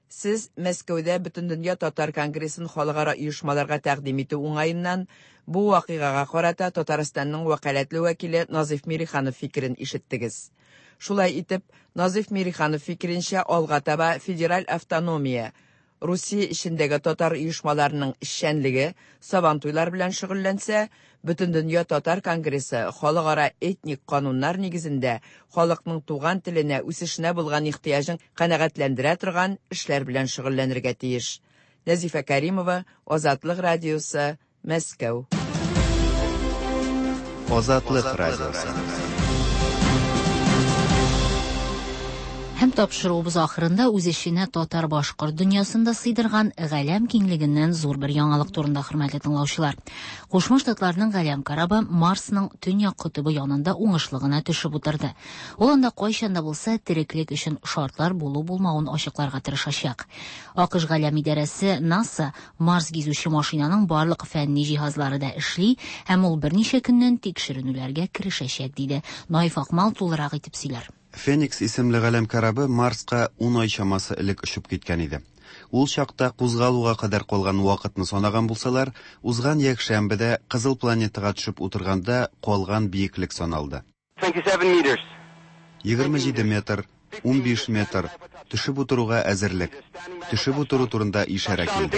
Сез Мәскәүдә Бөтендөнья татар конгрессын халыкара оешмаларга тәкъдим итү уңаеннан бу вакыйгага карата Татарстанның вәкаләтле вәкиле Назыйф Мириханов фикерен ишеттегез. Шулай итеп, Назыйф Мириханов фикеренчә, алга таба федераль автономия, Русия эчендәге татар оешмаларының эшчәнлеге Сабантуйлар белән шөгыльләнсә, Бөтендөнья татар конгрессы халыкара этник кануннар нигезендә халыкның туган теленә, үсешенә булган ихтыяҗын канәгатьләндерә торган эшләр белән шөгыльләнергә тиеш. Нәзифә Кәримова, Азатлык радиосы, Мәскәү. Азатлык радиосы. Һәм тапшыруыбыз ахырында үз эченә татар-башкорт дөньясын да сыйдырган галәм киңлегеннән зур бер яңалык турында, хөрмәтле тыңлаучылар. Кушма Штатларның галәм корабы Марсның төньяк котыбы янында уңышлы гына төшеп утырды. Ул анда кайчан да булса тереклек өчен шартлар булу-булмавын ачыкларга тырышачак. АКШ галәм идарәсе НАСА Марс гизүче машинаның барлык фәнни җиһазлары да эшли һәм ул берничә көннән тикшеренүләргә керешәчәк, диде. Наиф Акмал тулырак итеп сөйләр. Феникс исемле галәм корабы Марска ун ай чамасы элек очып киткән иде. Ул чакта кузгалуга кадәр калган вакытны санаган булсалар, узган якшәмбедә Кызыл планетага төшеп утырганда калган биеклек саналды. 27 метр, 15 метр, төшеп утыруга әзерлек. Төшеп утыру турында ишарә килде.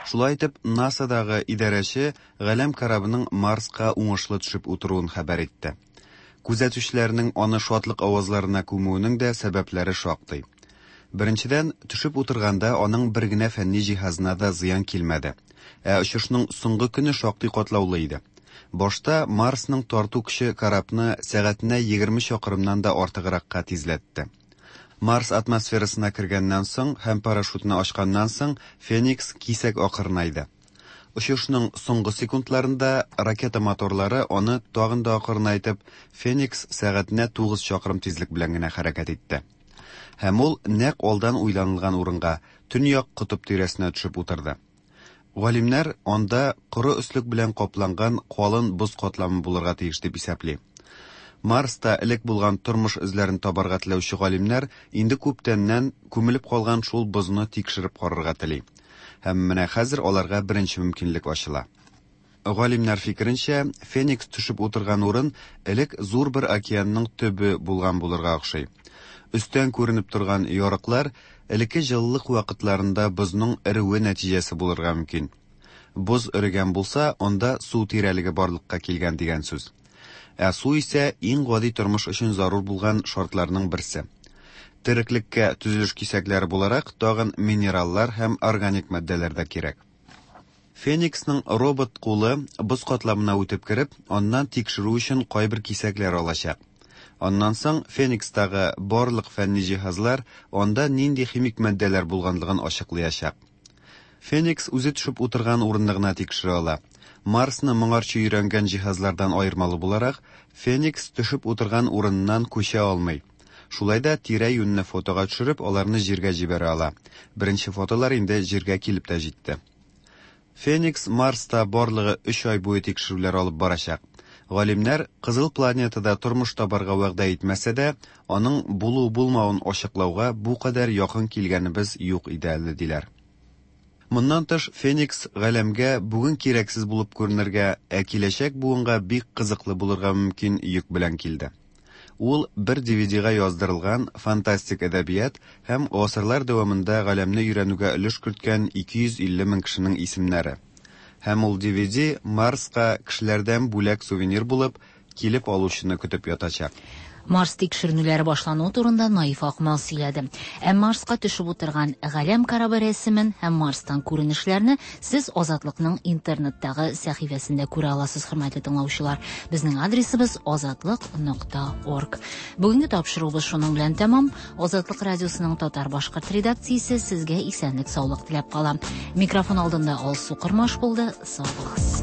Шулай итеп, НАСАдагы идарәче галәм корабының Марска уңышлы төшеп утыруын хәбәр итте. Күзәтүчеләрнең аны шатлык авазларына күмүенең дә сәбәпләре шактый. Беренчедән, төшеп утырганда аның бер генә фәнни җиһазына да зыян килмәде. Ә очышның соңгы көне шактый катлаулы иде. Башта Марсның тарту көче корабны сәгатенә 20 чакрымнан да артыгракка тизләтте. Марс атмосферасына кергәннән соң һәм парашютны ачканнан соң Феникс кисәк акрынайды. Очышның соңгы секундларында ракета моторлары аны тагын да акрынайтып, Феникс сәгатенә 9 чакрым тизлек белән генә хәрәкәт итте. Һәм ул нәкъ алдан уйланылган урынга, Төньяк котып тирәсенә төшеп утырды. Галимнәр анда коры өслек белән капланган калын боз катламы булырга тиеш дип исәпли. Марста элек булган тормыш эзләрен табарга теләүче галимнәр инде күптәннән күмелеп калган шул бозны тикшереп карарга тели. Һәм менә хәзер аларга беренче мөмкинлек ачыла. Галимнәр фикеренчә, Феникс төшеп утырган урын элек зур бер океанның төбе булган булырга охшый. Өстән күренеп торган ярыклар элекке җылылык вакытларында бозның эреүе нәтиҗәсе булырга мөмкин. Боз эрегән булса, анда су тирәлеге барлыкка килгән дигән сүз. Ә су исә иң гади тормыш өчен зарур булган шартларның берсе. Тереклеккә төзелеш кисәкләре буларак тагын минераллар һәм органик матдәләр дә кирәк. Фениксның робот кулы боз катламына үтеп кереп, аннан тикшерү өчен кайбер кисәкләр алачак. Аннан соң Феникстагы барлык фәнни җиһазлар анда нинди химик матдәләр булганлыгын ачыклыячак. Феникс үзе төшеп утырган урынны гына тикшерә ала. Марсны моңарчы өйрәнгән җиһазлардан аермалы буларак, Феникс төшеп утырган урыныннан күчә алмый. Шулай да тирә-юньне фотога төшереп, аларны Җиргә җибәрә ала. Беренче фотолар инде Җиргә килеп тә җитте. Феникс Марста барлыгы өч ай буе тикшерүләр алып барачак. Галимнәр Кызыл планетада тормыш табарга вәгъдә итмәсә дә, аның булу-булмавын ачыклауга бу кадәр якын килгәнебез юк иде әле, диләр. Моннан тыш, Феникс галәмгә бүген кирәксез булып күренергә, ә киләчәк буынга бик кызыклы булырга мөмкин йөк белән килде. Ул бер DVD-га яздырылган фантастик әдәбият һәм гасырлар дәвамында галәмне өйрәнүгә өлеш керткән 250 мең кешенең исемнәре. Һәм ул DVD Марска кешеләрдән бүләк-сувенир булып, килеп алучыны көтеп ятачак. Марс тикшеренүләре башлануы турында Наиф Акмал сөйләде. Ә Марска төшеп утырган галәм корабы рәсемен һәм Марстан күренешләрне сез Азатлыкның интернеттагы сәхифәсендә күрә аласыз, хөрмәтле тыңлаучылар. Безнең адресыбыз азатлык.орг. Бүгенге тапшыруыбыз шуның белән тәмам. Азатлык радиосының татар-башкорт редакциясе сезгә исәнлек-саулык теләп кала. Микрофон алдында Алсу Кормаш булды. Сау булыгыз.